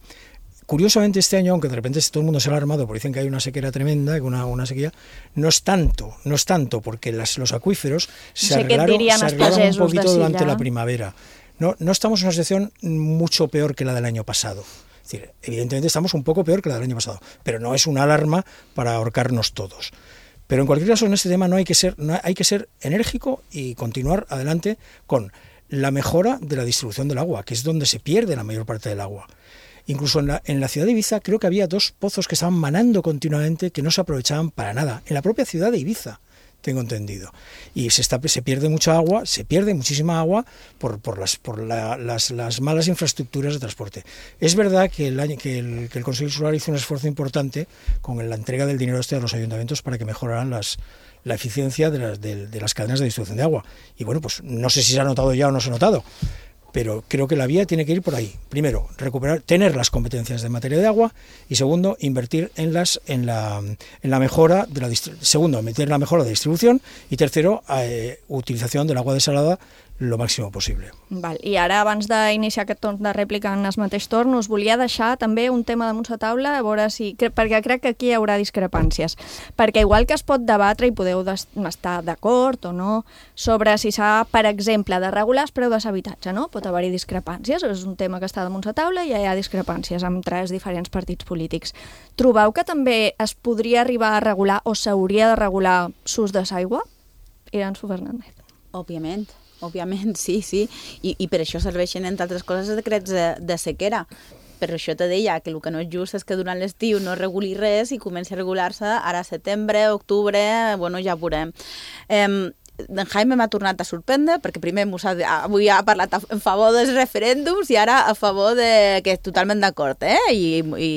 Speaker 21: Curiosamente este año, aunque de repente todo el mundo se ha alarmado porque dicen que hay una sequía tremenda, que una, una sequía, no es tanto, no es tanto, porque las, los acuíferos se arreglaron, se arreglaron un poquito durante la primavera. No, no estamos en una situación mucho peor que la del año pasado. Es decir, evidentemente estamos un poco peor que la del año pasado, pero no es una alarma para ahorcarnos todos. Pero en cualquier caso, en este tema no hay que ser, no hay que ser enérgico y continuar adelante con la mejora de la distribución del agua, que es donde se pierde la mayor parte del agua. Incluso en la, en la ciudad de Ibiza creo que había dos pozos que estaban manando continuamente que no se aprovechaban para nada. En la propia ciudad de Ibiza tengo entendido. Y se, está, se pierde mucha agua, se pierde muchísima agua por, por, las, por la, las, las malas infraestructuras de transporte. Es verdad que el, año, que, el, que el Consejo Insular hizo un esfuerzo importante con la entrega del dinero este a los ayuntamientos para que mejoraran las, la eficiencia de las, de, de las cadenas de distribución de agua. Y bueno, pues no sé si se ha notado ya o no se ha notado, pero creo que la vía tiene que ir por ahí. Primero, recuperar, tener las competencias de materia de agua, y segundo, invertir en las en la en la mejora de la segundo, meter la mejora de distribución, y tercero, eh, utilización del agua desalada lo màxim possible.
Speaker 5: Val. I ara, abans d'iniciar aquest torn de rèplica en el mateix torn, us volia deixar també un tema damunt la taula, a veure si, perquè crec que aquí hi haurà discrepàncies. Perquè igual que es pot debatre, i podeu estar d'acord o no, sobre si s'ha, per exemple, de regular el preu de l'habitatge, no? Pot haver-hi discrepàncies, és un tema que està damunt la taula i hi ha discrepàncies amb tres diferents partits polítics. Trobeu que també es podria arribar a regular o s'hauria de regular l'ús de l'aigua? Iranzo Fernández.
Speaker 20: Òbviament. Òbviament, sí, sí, I, i per això serveixen, entre altres coses, els decrets de, de sequera. Per això te deia que el que no és just és que durant l'estiu no reguli res i comenci a regular-se ara a setembre, octubre, bueno, ja veurem. Eh, en Jaime m'ha tornat a sorprendre, perquè primer ha, avui ha parlat en favor dels referèndums i ara a favor de, que és totalment d'acord, eh? I, i,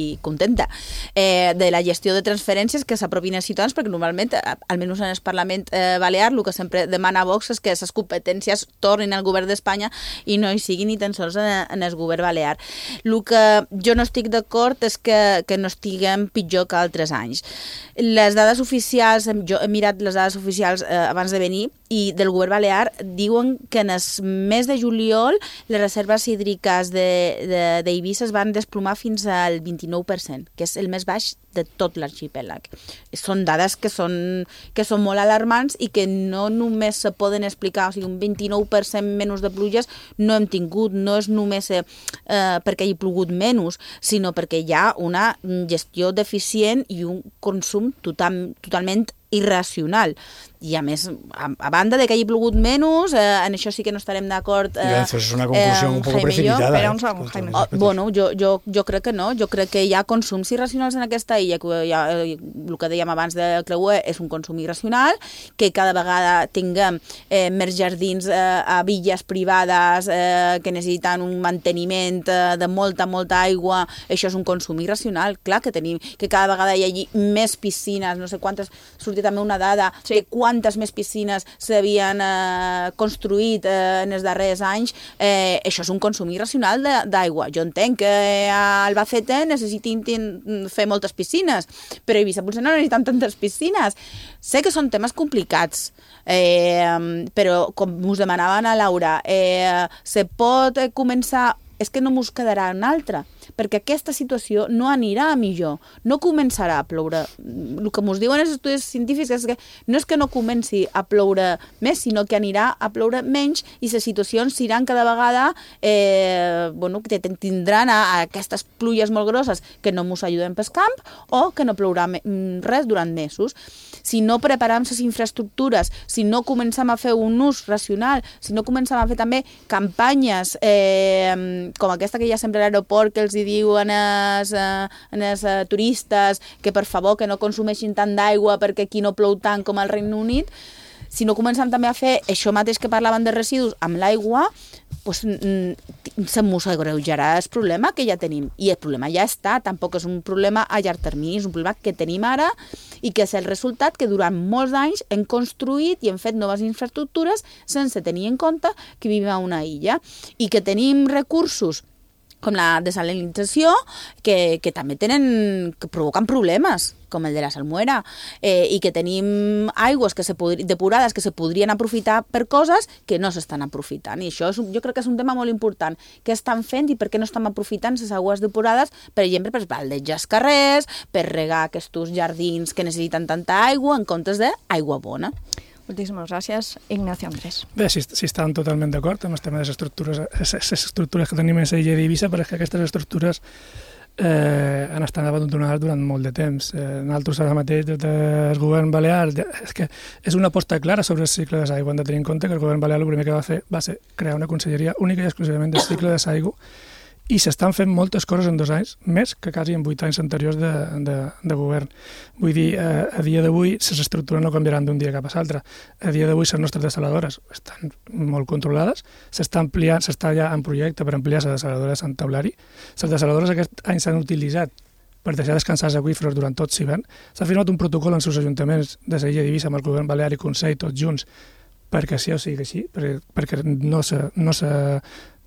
Speaker 20: i contenta, eh, de la gestió de transferències que s'apropin als ciutadans, perquè normalment, almenys en el Parlament eh, Balear, el que sempre demana Vox és que les competències tornin al govern d'Espanya i no hi siguin ni tan sols en, en el govern Balear. El que jo no estic d'acord és que, que no estiguem pitjor que altres anys. Les dades oficials, jo he mirat les dades oficials eh, abans de venir, i del govern balear diuen que en el mes de juliol les reserves hídriques d'Eivissa es van desplomar fins al vint-i-nou per cent, que és el més baix de tot l'arxipèlag. Són dades que són, que són molt alarmants i que no només se poden explicar, o sigui, un vint-i-nou per cent menys de pluges no hem tingut, no és només eh, perquè hi ha plogut menys, sinó perquè hi ha una gestió deficient i un consum total, totalment irracional. I a més, a, a banda de que hagi plogut menys, eh, en això sí que no estarem d'acord. Eh,
Speaker 21: és una conclusió eh, un poco precipitada.
Speaker 5: Espera un segon, Jaime.
Speaker 20: Oh, bueno, jo, jo, jo crec que no. Jo crec que hi ha consums irracionals en aquesta illa, que hi ha, el que dèiem abans de creuer és un consum irracional, que cada vegada tinguem eh, més jardins eh, a villes privades eh, que necessiten un manteniment eh, de molta, molta aigua, això és un consum irracional. Clar que tenim, que cada vegada hi hagi més piscines, no sé quantes, sortia també una dada sí. de quantes més piscines s'havien eh, construït eh, en els darrers anys, eh, això és un consum irracional d'aigua. Jo entenc que a Albacete necessitin fer moltes piscines, però a Eivissa potser no necessitem tantes piscines. Sé que són temes complicats, eh, però com us demanaven a Laura, eh, se pot començar... És que no mos quedarà una altra, perquè aquesta situació no anirà a millor, no començarà a ploure. El que ens diuen els estudis científics és que no és que no comenci a ploure més, sinó que anirà a ploure menys i les situacions seran cada vegada, eh, bueno, que tindran a, a aquestes pluies molt grosses que no ens ajuden pel camp o que no plourà res durant mesos. Si no preparem les infraestructures, si no comencem a fer un ús racional, si no comencem a fer també campanyes eh, com aquesta que hi ha sempre a l'aeroport, que els hi diuen als eh, turistes que per favor que no consumeixin tant d'aigua perquè aquí no plou tant com al Regne Unit, si no comencem també a fer això mateix que parlaven de residus amb l'aigua, pues, se mos agreujarà el problema que ja tenim. I el problema ja està, tampoc és un problema a llarg termini, és un problema que tenim ara i que és el resultat que durant molts anys hem construït i hem fet noves infraestructures sense tenir en compte que vivim a una illa i que tenim recursos com la desalinització, que, que també tenen, que provoquen problemes, com el de la salmuera, eh, i que tenim aigües que se podri, depurades que se podrien aprofitar per coses que no s'estan aprofitant. I això és, jo crec que és un tema molt important. Què estan fent i per què no estan aprofitant les aigües depurades, per exemple, per baldejar els carrers, per regar aquests jardins que necessiten tanta aigua en comptes d'aigua bona.
Speaker 5: Moltíssimes gràcies, Ignacio Andrés.
Speaker 1: Bé, si, si estan totalment d'acord amb el tema de les estructures, les estructures que tenim a l'illa d'Eivissa, però és que aquestes estructures eh, han estat abandonades durant molt de temps. Eh, nosaltres ara mateix, des del govern balear, és que és una aposta clara sobre el cicle de l'aigua. Hem de tenir en compte que el govern balear el primer que va fer va ser crear una conselleria única i exclusivament del cicle de l'aigua i s'estan fent moltes coses en dos anys, més que quasi en vuit anys anteriors de, de, de govern. Vull dir, eh, a dia d'avui les estructures no canviaran d'un dia cap a l'altre. A dia d'avui les nostres desaladores estan molt controlades, s'està ampliant, s'està ja en projecte per ampliar les desaladores en taulari. Les desaladores aquest any s'han utilitzat per deixar descansar els aqüífers durant tot l'hivern. S'ha firmat un protocol en els ajuntaments de Sevilla i d'Eivissa amb el govern balear i Consell, tots junts, perquè sí o sigui així, perquè, perquè no se, no se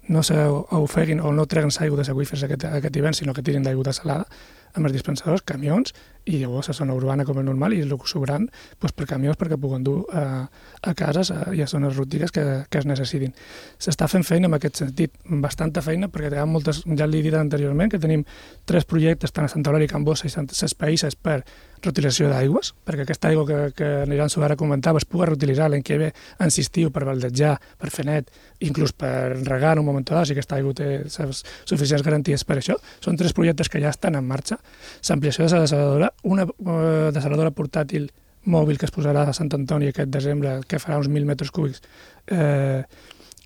Speaker 1: no s'ofeguin o no treguen l'aigua dels aqüífers aquest, aquest hivern, sinó que tirin d'aigua salada amb els dispensadors, camions, i llavors a zona urbana com és normal, i el que sobraran pues, per camions perquè puguen dur a, a cases a, i a zones rústiques que, que es necessitin. S'està fent feina en aquest sentit, bastanta feina, perquè hi ha moltes, ja l'he dit anteriorment, que tenim tres projectes, tant a Santa Eulàlia, Can Bossa i Ses Païsses, per reutilització d'aigües, perquè aquesta aigua que, que aniran ara comentava es pugui reutilitzar l'any que ve en estiu per baldejar, per fer net, inclús per regar en un moment donat, si aquesta aigua té suficients garanties per això. Són tres projectes que ja estan en marxa. L'ampliació de la desaladora, una eh, desaladora portàtil mòbil que es posarà a Sant Antoni aquest desembre, que farà uns mil metres cúbics eh,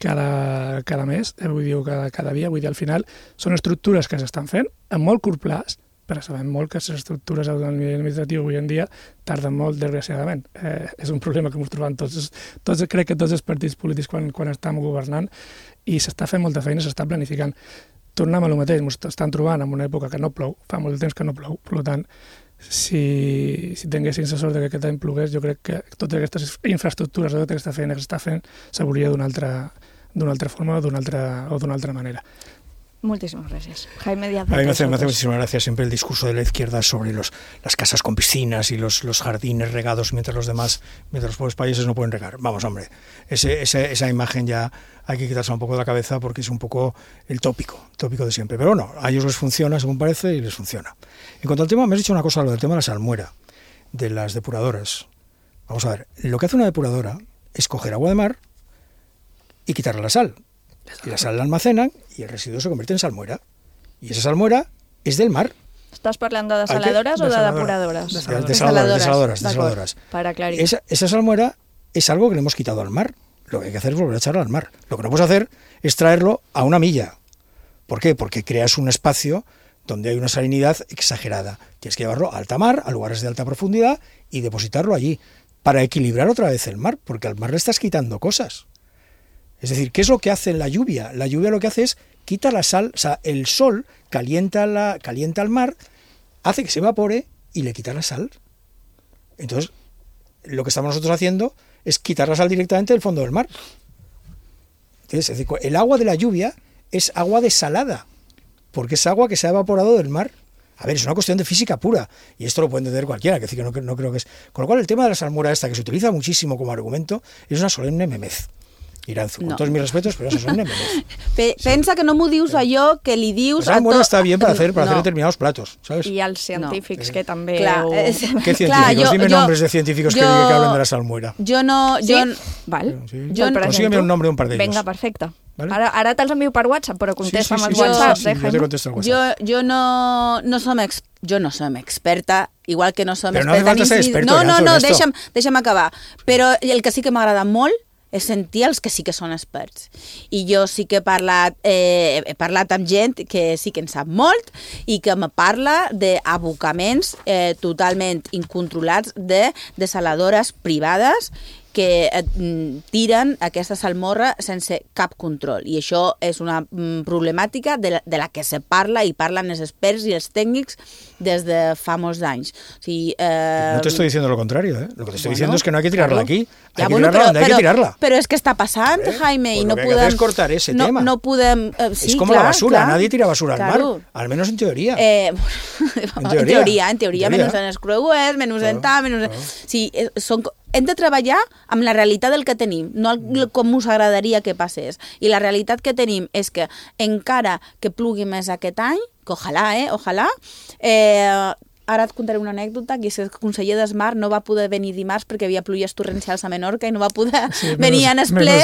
Speaker 1: cada, cada mes, eh, vull dir, cada, cada dia, vull dir, al final són estructures que s'estan fent a molt curt plaç, però sabem molt que les estructures administratives avui en dia tarden molt, desgraciadament. Eh, és un problema que ens trobem tots, tots, crec que tots els partits polítics quan, quan estem governant, i s'està fent molta feina, s'està planificant. Tornem a lo mateix, ens estan trobant en una època que no plou, fa molt temps que no plou, per tant, si, si tinguessin la sort que aquest any plogués, jo crec que totes aquestes infraestructures, tota aquesta feina que s'està fent, s'hauria d'una altra, d'una altra forma o d'una altra, o d'una altra manera.
Speaker 5: Muchísimas gracias. Jaime Díaz.
Speaker 21: A mí me hace, me hace muchísimas gracias siempre el discurso de la izquierda sobre los, las casas con piscinas y los, los jardines regados mientras los demás, mientras los pobres países no pueden regar. Vamos, hombre, ese, ese, esa imagen ya hay que quitarse un poco de la cabeza porque es un poco el tópico, tópico de siempre. Pero bueno, a ellos les funciona según parece y les funciona. En cuanto al tema, me has dicho una cosa, lo del tema de la salmuera, de las depuradoras. Vamos a ver, lo que hace una depuradora es coger agua de mar y quitarle la sal. Y la sal la almacenan y el residuo se convierte en salmuera. Y esa salmuera es del mar.
Speaker 5: ¿Estás hablando de desaladoras o de depuradoras?
Speaker 21: Desaladoras, desaladoras, desaladoras. desaladoras.
Speaker 5: Para aclarar.
Speaker 21: Esa, esa salmuera es algo que le hemos quitado al mar. Lo que hay que hacer es volver a echarlo al mar. Lo que no puedes hacer es traerlo a una milla. ¿Por qué? Porque creas un espacio donde hay una salinidad exagerada. Tienes que llevarlo a alta mar, a lugares de alta profundidad y depositarlo allí para equilibrar otra vez el mar, porque al mar le estás quitando cosas. Es decir, ¿qué es lo que hace la lluvia? La lluvia lo que hace es quita la sal, o sea, el sol calienta, la, calienta el mar, hace que se evapore y le quita la sal. Entonces, lo que estamos nosotros haciendo es quitar la sal directamente del fondo del mar. Entonces, es decir, el agua de la lluvia es agua desalada, porque es agua que se ha evaporado del mar. A ver, es una cuestión de física pura, y esto lo puede entender cualquiera, que decir que no, no creo que es... Con lo cual, el tema de la salmuera esta, que se utiliza muchísimo como argumento, es una solemne memez. Iranzu, con no. todos mis respetos, pero eso es un memez.
Speaker 20: Pe sí. Pensa que no m'ho dius allò que li dius...
Speaker 21: La salmuera está bien para hacer, para no. hacer determinados platos, ¿sabes?
Speaker 5: Y als científics, no. que també...
Speaker 20: Clar,
Speaker 5: ho...
Speaker 20: és...
Speaker 21: ¿Qué científicos? Clar, jo, Dime jo, nombres de científicos jo, que, que hablen de la salmuera.
Speaker 20: Jo no...
Speaker 5: ¿Sí?
Speaker 20: Jo...
Speaker 5: Val.
Speaker 21: Sí. Jo no... Consígueme un nombre de un par de ellos.
Speaker 5: Venga, perfecte.
Speaker 21: ¿Vale?
Speaker 5: Ara, ara te'ls envio per WhatsApp, però contesta
Speaker 21: sí, sí,
Speaker 5: amb
Speaker 21: sí,
Speaker 5: els WhatsApp,
Speaker 21: sí, sí,
Speaker 5: eh, Jaime?
Speaker 21: Jo te contesto al WhatsApp.
Speaker 20: Jo, jo no, no som ex, jo no som experta, igual que no som
Speaker 21: però
Speaker 20: experta...
Speaker 21: Però no hace falta ser experto.
Speaker 20: No, no, no, deixa'm, deixa'm acabar. Però el que sí que m'agrada molt és sentir els que sí que són experts. I jo sí que he parlat, eh, he parlat amb gent que sí que en sap molt i que me parla d'abocaments eh, totalment incontrolats de desaladores privades que eh, tiren aquesta salmorra sense cap control. I això és una mm, problemàtica de la, de la que se parla i parlen els experts i els tècnics des de fa molts anys. O sigui, eh...
Speaker 21: No te estoy diciendo lo contrario, ¿eh? Lo que te estoy bueno, diciendo es que no hay que tirarla claro. aquí. Hay
Speaker 20: ja,
Speaker 21: que
Speaker 20: bueno,
Speaker 21: tirarla
Speaker 20: però,
Speaker 21: donde hay
Speaker 20: però,
Speaker 21: que tirarla.
Speaker 20: Pero es que está pasant, ¿Eh? Jaime,
Speaker 21: pues
Speaker 20: y no
Speaker 21: lo que
Speaker 20: podem...
Speaker 21: hay que hacer es cortar ese
Speaker 20: no,
Speaker 21: tema.
Speaker 20: No podem... Eh, sí,
Speaker 21: es como
Speaker 20: clar,
Speaker 21: la basura,
Speaker 20: clar.
Speaker 21: Nadie tira basura
Speaker 20: claro.
Speaker 21: al mar, al menos en teoría.
Speaker 20: Eh,
Speaker 21: en
Speaker 20: teoria.
Speaker 21: teoria.
Speaker 20: En teoria, en teoria,
Speaker 21: teoria.
Speaker 20: menys en els creuers, menys claro, en tal, menys... Claro. Sí, són... Hem de treballar amb la realitat del que tenim, no el, com us agradaria que passés. I la realitat que tenim és que encara que plugui més aquest any, que ojalà, eh, ojalà, eh, ara et contaré una anècdota, que és que el conseller d'Esmar no va poder venir dimarts perquè havia pluies torrencials a Menorca i no va poder sí, venir en esple,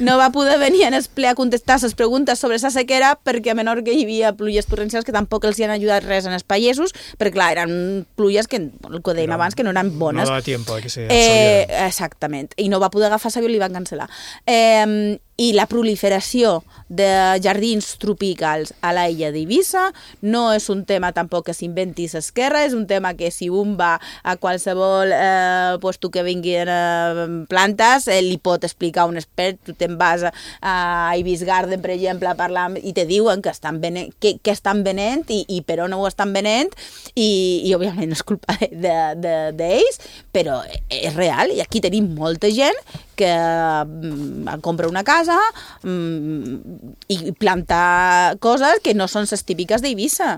Speaker 20: no va poder venir en esple a contestar les preguntes sobre la sequera perquè a Menorca hi havia pluies torrencials que tampoc els hi han ajudat res en els països, perquè clar, eren pluies que, el que dèiem abans, que no eren bones.
Speaker 21: No dava tiempo, que se
Speaker 20: eh, exactament, i no va poder agafar l'avió i li van cancel·lar. Eh, I la proliferació de jardins tropicals a l'illa d'Eivissa no és un tema tampoc que s'inventi l'esquerra, és un tema que si un va a qualsevol eh, puesto que vinguin eh, plantes, eh, li pot explicar un expert. Tu te'n vas a, a Ibis Garden, per exemple, a parlar i te diuen que estan venent, que, que estan venent i, i per on ho estan venent i, i òbviament no és culpa d'ells, de, de, de però és real i aquí tenim molta gent que mm, compra una casa mm, i planta coses que no són les típiques d'Eivissa.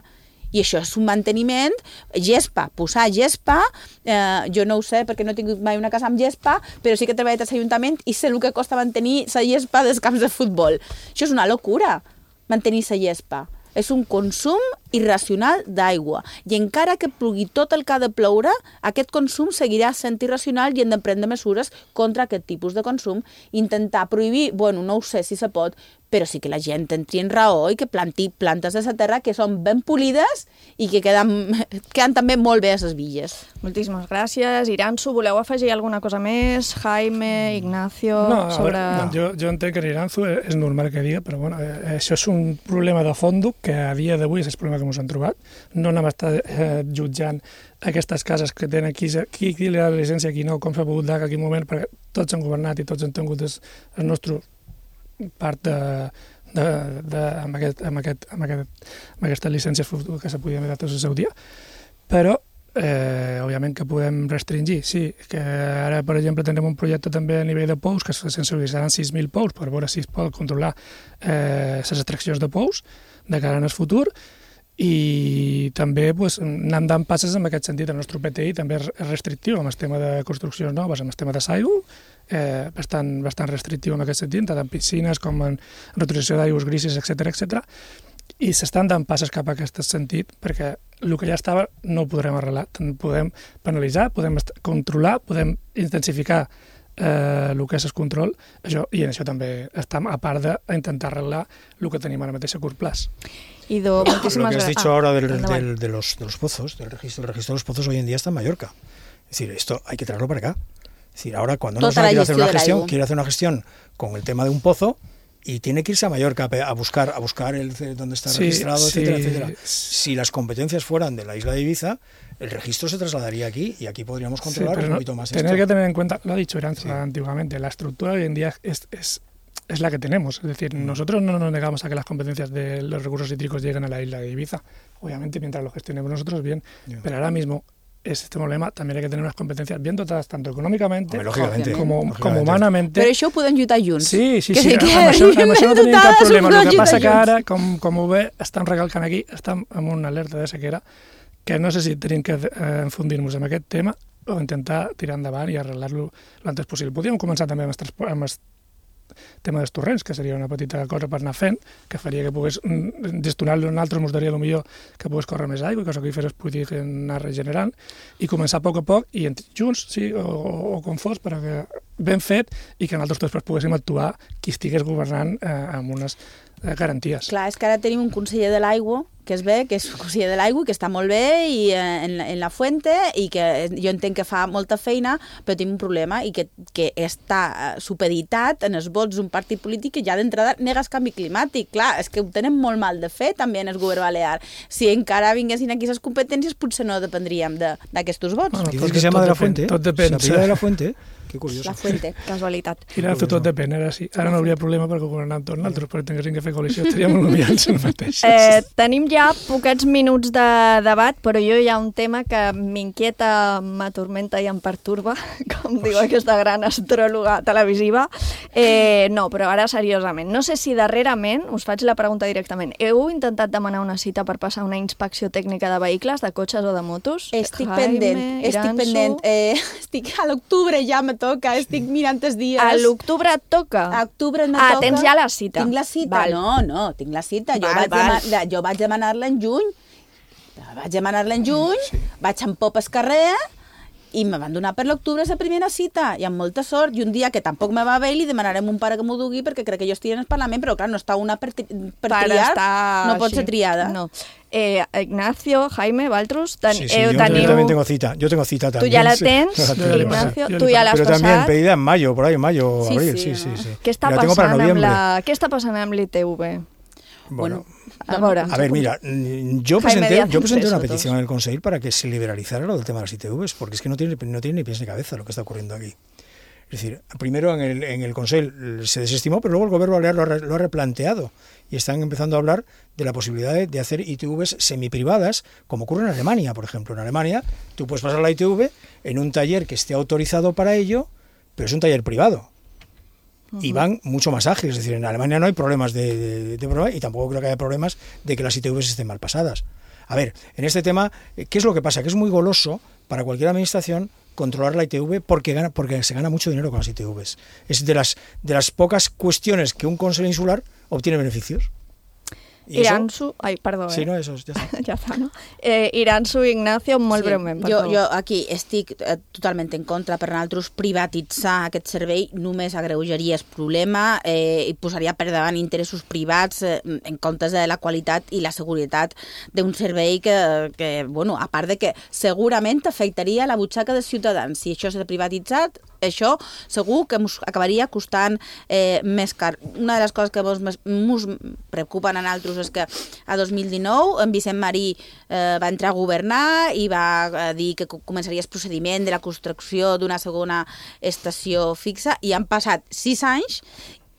Speaker 20: I això és un manteniment, gespa, posar gespa, eh, jo no ho sé perquè no he tingut mai una casa amb gespa, però sí que he treballat a l'Ajuntament i sé el que costa mantenir la gespa dels camps de futbol. Això és una locura, mantenir la gespa. És un consum irracional d'aigua. I encara que plogui tot el que ha de ploure, aquest consum seguirà sent irracional i hem de prendre mesures contra aquest tipus de consum. Intentar prohibir, bueno, no ho sé si se pot, però sí que la gent entri en raó i que planti plantes de la terra que són ben polides i que queden, queden també molt bé a les villes.
Speaker 5: Moltíssimes gràcies. Iranzu, voleu afegir alguna cosa més? Jaime, Ignacio...
Speaker 1: No,
Speaker 5: sobre...
Speaker 1: a veure, jo, jo entenc que Iranzu és normal que diga, però bueno, eh, això és un problema de fons que a dia d'avui és el problema que ens han trobat. No anem a estar eh, jutjant aquestes cases que tenen qui, qui, qui li ha la llicència, qui no, com s'ha pogut dar en aquell moment, perquè tots han governat i tots han tingut el, el nostre part de, de, de, amb, aquest, amb, aquest, amb, aquest, amb aquestes llicències que se podien haver dat el seu dia, però eh, òbviament que podem restringir, sí, que ara per exemple tindrem un projecte també a nivell de pous que se sensibilitzaran sis mil pous per veure si es pot controlar eh, les extraccions de pous de cara al futur. I també pues, anem dant passes en aquest sentit. El nostre P T I també és restrictiu amb el tema de construccions noves, amb el tema de l'aigua, eh, bastant, bastant restrictiu en aquest sentit, tant en piscines com en reutilització d'aigües grises, etcètera, etcètera. I s'estan dant passes cap a aquest sentit, perquè el que ja estava no ho podrem arreglar. Podem penalitzar, podem controlar, podem intensificar eh, el que és el control, això, i en això també estem, a part d'intentar arreglar el que tenim ara mateix a curt plaç.
Speaker 5: Ido,
Speaker 21: muchísimas gracias. Lo que has dicho ah, ahora del, del, de, los, de los pozos, del registro, el registro de los pozos hoy en día está en Mallorca. Es decir, esto hay que traerlo para acá. Es decir, ahora cuando una persona quiere hacer una gestión, quiere hacer una gestión con el tema de un pozo y tiene que irse a Mallorca a buscar, a buscar el dónde está sí, registrado, sí. etcétera, etcétera. Si las competencias fueran de la isla de Ibiza, el registro se trasladaría aquí y aquí podríamos controlar sí, un poquito más
Speaker 1: tener
Speaker 21: esto.
Speaker 1: que tener en cuenta, lo ha dicho Iranzu sí. antiguamente, la estructura hoy en día es, es es la que tenemos. Es decir, nosotros no nos negamos a que las competencias de los recursos hídricos lleguen a la isla de Ibiza. Obviamente, mientras lo gestionemos nosotros, bien. Yeah. Pero ahora mismo, este problema también hay que tener unas competencias bien dotadas, tanto econòmicamente Home, lógicamente, como, lógicamente. como humanamente.
Speaker 20: Però això ho podem lluitar junts.
Speaker 1: Sí, sí,
Speaker 20: que
Speaker 1: sí.
Speaker 20: sí
Speaker 1: amb, això, amb això no tenim cap problema. El que passa que ara, com, com ho ve, estan recalcant aquí, estan amb una alerta de sequera, que no sé si tenim que eh, enfundir-nos en aquest tema o intentar tirar endavant i arreglar-lo l'antes possible. Podríem començar també amb el, amb el tema dels torrents, que seria una petita cosa per anar fent, que faria que pogués gestionar-lo en altres, ens daria millor que pogués córrer més aigua, i cosa que fes poder anar regenerant, i començar a poc a poc, i junts, sí, o, o, o com fos, però que ben fet, i que nosaltres després poguéssim actuar qui estigués governant eh, amb unes eh, garanties.
Speaker 20: Clar, és que ara tenim un conseller de l'aigua que es ve, que és conseller de l'aigua, que està molt bé i, eh, en, en la fuente, i que jo entenc que fa molta feina, però tenim un problema i que, que està supeditat en els vots d'un partit polític que ja d'entrada nega el canvi climàtic. Clar, és que ho tenen molt mal de fer també en el govern balear. Si encara vinguessin aquí les competències, potser no dependríem d'aquests vots.
Speaker 21: Bueno, dices que se llama de la Fuente,
Speaker 1: tot depèn.
Speaker 21: Se de la Fuente, que curioso.
Speaker 20: La Fuente,
Speaker 5: casualitat.
Speaker 1: Iranzu, tot depèn, ara sí. Ara no hauria problema perquè governàvem tots nosaltres, però tinguéssim que fer coalició, estaríem humillants el mateix.
Speaker 5: Eh, tenim ja poquets minuts de debat, però jo hi ha un tema que m'inquieta, m'atormenta i em perturba, com diu aquesta gran astròloga televisiva. Eh, no, però ara seriosament. No sé si darrerament, us faig la pregunta directament, heu intentat demanar una cita per passar una inspecció tècnica de vehicles, de cotxes o de motos?
Speaker 20: Estic Jaime, pendent, Iranzu. estic pendent. Eh, estic a l'octubre ja me toca, estic mirant els dies.
Speaker 5: A l'octubre et toca?
Speaker 20: A octubre no
Speaker 5: ah,
Speaker 20: toca.
Speaker 5: Ah, tens ja la cita.
Speaker 20: Tinc la cita,
Speaker 5: val.
Speaker 20: no, no, tinc la cita. Jo
Speaker 5: val,
Speaker 20: vaig,
Speaker 5: val.
Speaker 20: Dema jo vaig demanar-la en juny. Vaig demanar-la en juny, sí. Vaig amb pop al carrer i me van donar per l'octubre la primera cita, i amb molta sort, i un dia que tampoc me va bé li demanarem un pare que m'ho dugui perquè crec que jo estigui en el Parlament, però clar, no està una per, per, per triar, no pot ser triada.
Speaker 5: No. Eh, Ignacio, Jaime, Valtros, ten,
Speaker 21: sí, sí,
Speaker 5: eh,
Speaker 21: yo,
Speaker 5: teniu...
Speaker 21: yo también tengo cita, yo tengo cita también.
Speaker 5: Tú ya la
Speaker 21: sí.
Speaker 5: tens, Ignacio, tú ya la has
Speaker 21: Pero
Speaker 5: pasado.
Speaker 21: también pedida en mayo, por ahí en mayo,
Speaker 5: sí,
Speaker 21: abril,
Speaker 5: sí,
Speaker 21: sí,
Speaker 5: no?
Speaker 21: sí, sí.
Speaker 5: Què està, passant amb la... Què està passant amb l'I T V?
Speaker 21: Bueno,
Speaker 5: a, veure,
Speaker 21: a ver, mira, yo presenté, yo presenté una petición en el Consejo para que se liberalizara lo del tema de las I T Vs, porque es que no tiene, no tiene ni pies ni cabeza lo que está ocurriendo aquí. Es decir, primero en el, en el Consejo se desestimó, pero luego el Gobierno Balear lo ha, lo ha replanteado y están empezando a hablar de la posibilidad de, de hacer I T Vs semiprivadas, como ocurre en Alemania, por ejemplo. En Alemania tú puedes pasar la I T V en un taller que esté autorizado para ello, pero es un taller privado. Y van mucho más ágiles, es decir, en Alemania no hay problemas de, de, de prueba y tampoco creo que haya problemas de que las I T Vs estén mal pasadas. A ver, en este tema, ¿qué es lo que pasa? Que es muy goloso para cualquier administración controlar la I T V porque gana, porque se gana mucho dinero con las I T Vs. Es de las, de las pocas cuestiones que un consejo insular obtiene beneficios.
Speaker 5: Iransu, ai, perdó,
Speaker 21: sí,
Speaker 5: eh?
Speaker 21: no, eso ja està.
Speaker 5: ja està, no? Eh, Iransu, Ignacio, molt
Speaker 20: sí,
Speaker 5: breument, per
Speaker 20: jo,
Speaker 5: favor.
Speaker 20: Jo aquí estic eh, totalment en contra. Per nosaltres privatitzar aquest servei només agreujaria el problema eh, i posaria per davant interessos privats eh, en comptes de la qualitat i la seguretat d'un servei que, que, bueno, a part de que segurament afectaria la butxaca dels ciutadans. Si això s'ha privatitzat, això segur que ens acabaria costant eh, més car. Una de les coses que ens preocupen a nosaltres és que a dos mil dinou en Vicent Marí eh, va entrar a governar i va eh, dir que començaria el procediment de la construcció d'una segona estació fixa i han passat sis anys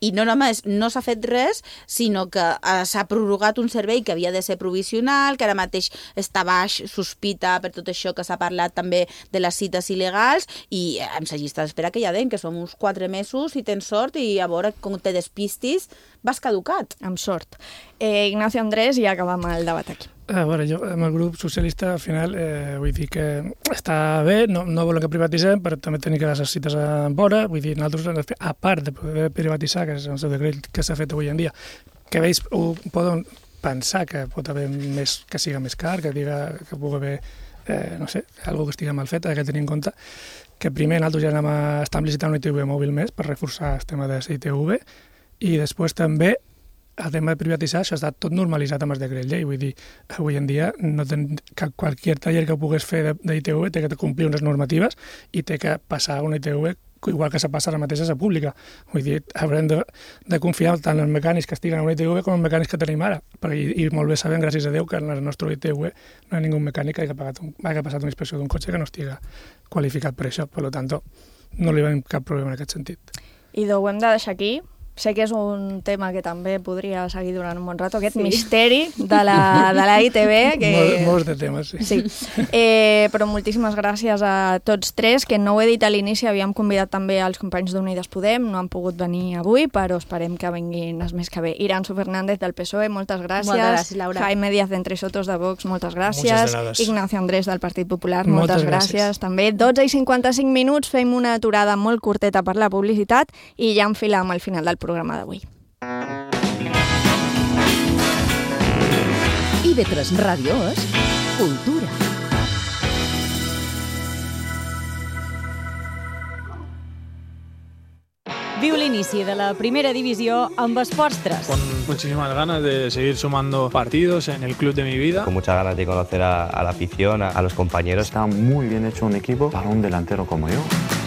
Speaker 20: i no només no s'ha fet res, sinó que eh, s'ha prorrogat un servei que havia de ser provisional, que ara mateix està baix sospita per tot això que s'ha parlat també de les cites il·legals i eh, amb la llista d'espera que ja deien, que som uns quatre mesos i tens sort i a veure com te despistis vas caducat.
Speaker 5: Amb sort. Eh, Ignacio Andrés, i acabem el debat aquí.
Speaker 1: A veure, jo amb el grup socialista al final eh, vull dir que està bé, no, no volen que privatitzem, però també tenim que les cites a vora, vull dir, nosaltres, a part de poder privatitzar, que és el seu decret que s'ha fet avui en dia, que veus, ho poden pensar que pot haver més, que siga més car, que diga que pugui haver, eh, no sé, alguna que estigui mal feta, que tenir en compte que primer nosaltres ja anem a estar licitant una I T V mòbil més per reforçar el tema de la I T V i després també el tema de privatitzar, això està tot normalitzat amb el decret llei, vull dir, avui en dia no ten, que qualsevol taller que pugues fer d'I T V té que complir unes normatives i té que passar una I T V igual que se passa ara mateix a la pública. Vull dir, haurem de, de confiar tant en els mecànics que estiguen a una I T V com en els mecànics que tenim ara. Perquè, i, i molt bé sabem, gràcies a Déu, que en la nostra I T V no hi ha ningú mecànic que hagi, pagat un, hagi passat una inspecció d'un cotxe que no estigui qualificat per això. Per tant, no li veiem cap problema en aquest sentit.
Speaker 5: I ho hem de deixar aquí. Sé que és un tema que també podria seguir durant un bon rato, aquest sí. misteri de la, de la I T V. Que...
Speaker 1: Mol, molts de temes, sí.
Speaker 5: sí. Eh, però moltíssimes gràcies a tots tres, que no ho he dit a l'inici, havíem convidat també els companys d'Unides Podem, no han pogut venir avui, però esperem que vinguin els més que bé. Iransu Fernández del P S O E, moltes gràcies.
Speaker 20: Moltes gràcies, Laura.
Speaker 5: Jaime Díaz d'Entre Sotos de Vox, moltes gràcies. Ignacio Andrés del Partit Popular, moltes, moltes gràcies. gràcies també. dotze i cinquanta-cinc minuts, fem una aturada molt curteta per la publicitat i ja enfilem al final del programa d'avui.
Speaker 3: I ve tres Ràdio és cultura.
Speaker 4: Viu l'inici de la primera divisió amb Esports tres.
Speaker 2: Con muchísimas ganas de seguir sumando partidos en el club de mi vida.
Speaker 22: Con muchas ganas de conocer a, a la afición, a, a los compañeros.
Speaker 23: Está muy bien hecho un equipo para un delantero como yo.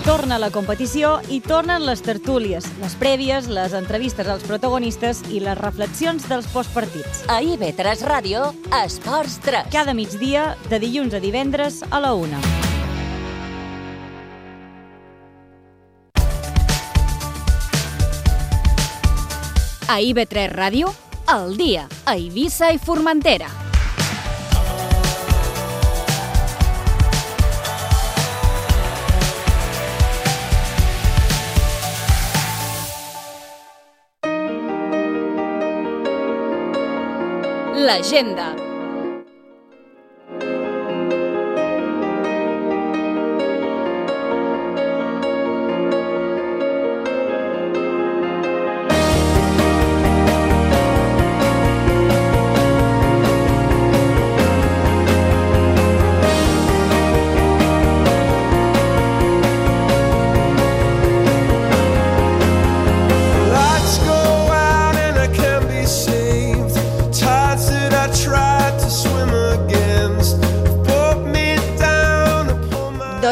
Speaker 4: Torna la competició i tornen les tertúlies, les prèvies, les entrevistes als protagonistes i les reflexions dels postpartits.
Speaker 10: A I V tres Ràdio, Esports tres.
Speaker 4: Cada migdia, de dilluns a divendres a la una. A I V tres Ràdio, al dia, a Eivissa i Formentera. L'agenda.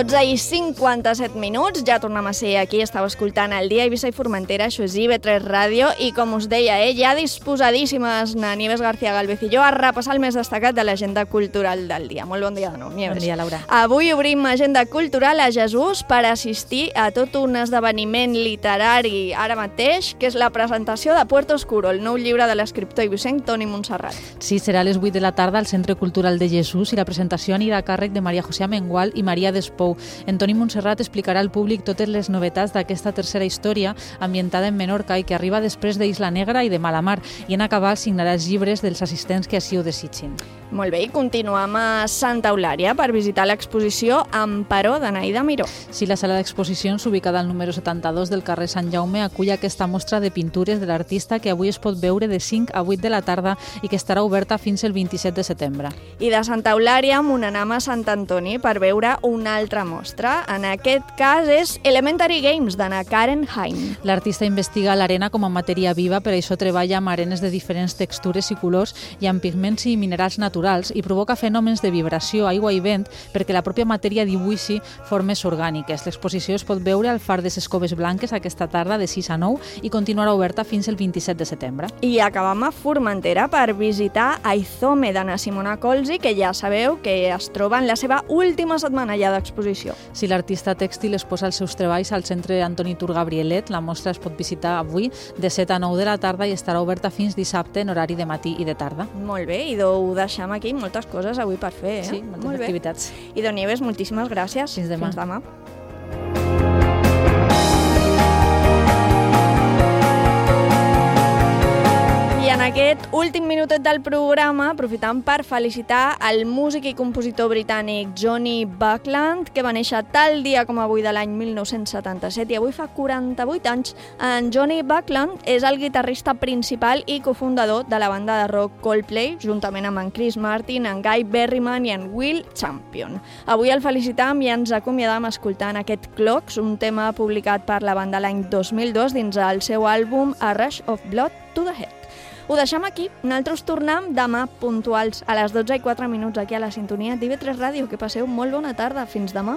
Speaker 5: dotze i cinquanta-set minuts, ja tornem a ser aquí, estàu escoltant el dia Eivissa i Formentera, això és I V tres Ràdio, i com us deia, eh, ja disposadíssimes na Nieves García Galvez i jo a repassar el més destacat de l'agenda cultural del dia. Molt bon dia de nou, Nieves.
Speaker 6: Bon dia, Laura.
Speaker 5: Avui obrim agenda cultural a Jesús per assistir a tot un esdeveniment literari ara mateix, que és la presentació de Puerto Oscuro, el nou llibre de l'escriptor eivissenc Toni Montserrat.
Speaker 6: Sí, serà a les vuit de la tarda al Centre Cultural de Jesús i la presentació anirà a càrrec de Maria José Amengual i Maria Despou. En Toni Montserrat explicarà al públic totes les novetats d'aquesta tercera història ambientada en Menorca i que arriba després d'Isla Negra i de Malamar, i en acabar signarà els llibres dels assistents que així ho desitgin.
Speaker 5: Molt bé, i continuem a Santa Eulària per visitar l'exposició Amparó d'Anaïda Miró.
Speaker 6: Sí, la sala d'exposicions, ubicada al número setanta-dos del carrer Sant Jaume, acull aquesta mostra de pintures de l'artista que avui es pot veure de cinc a vuit de la tarda i que estarà oberta fins el vint-i-set de setembre.
Speaker 5: I de Santa Eulària amb un anam a Sant Antoni per veure una altra mostra. En aquest cas és Elementary Games d'Anna Karen Haim.
Speaker 6: L'artista investiga l'arena com a matèria viva, per això treballa amb arenes de diferents textures i colors i amb pigments i minerals naturals, i provoca fenòmens de vibració, aigua i vent perquè la pròpia matèria dibuixi formes orgàniques. L'exposició es pot veure al Far de les Coves Blanques aquesta tarda de sis a nou i continuarà oberta fins el vint-i-set de setembre.
Speaker 5: I acabam a Formentera per visitar Aizome d'Anna Simona Colzi, que ja sabeu que es troba en la seva última setmana ja d'exposició.
Speaker 6: Si l'artista tèxtil exposa els seus treballs al Centre Antoni Tur Gabrielet, la mostra es pot visitar avui de set a nou de la tarda i estarà oberta fins dissabte en horari de matí i de tarda.
Speaker 5: Molt bé, i ho deixem aquí, moltes coses avui per fer, eh?
Speaker 6: Sí, moltes Molt activitats.
Speaker 5: Bé. I, Don Nieves, moltíssimes gràcies.
Speaker 6: Fins demà.
Speaker 5: Fins demà. En aquest últim minutet del programa, aprofitant per felicitar el músic i compositor britànic Johnny Buckland, que va néixer tal dia com avui de l'any mil nou-cents setanta-set i avui fa quaranta-vuit anys. En Johnny Buckland és el guitarrista principal i cofundador de la banda de rock Coldplay, juntament amb en Chris Martin, en Guy Berryman i en Will Champion. Avui el felicitam i ens acomiadam escoltant aquest Clocks, un tema publicat per la banda l'any dos mil dos dins el seu àlbum A Rush of Blood to the Head. Ho deixem aquí. Nosaltres tornem demà puntuals a les dotze i quatre minuts aquí a la sintonia d'I V tres Ràdio. Que passeu molt bona tarda. Fins demà.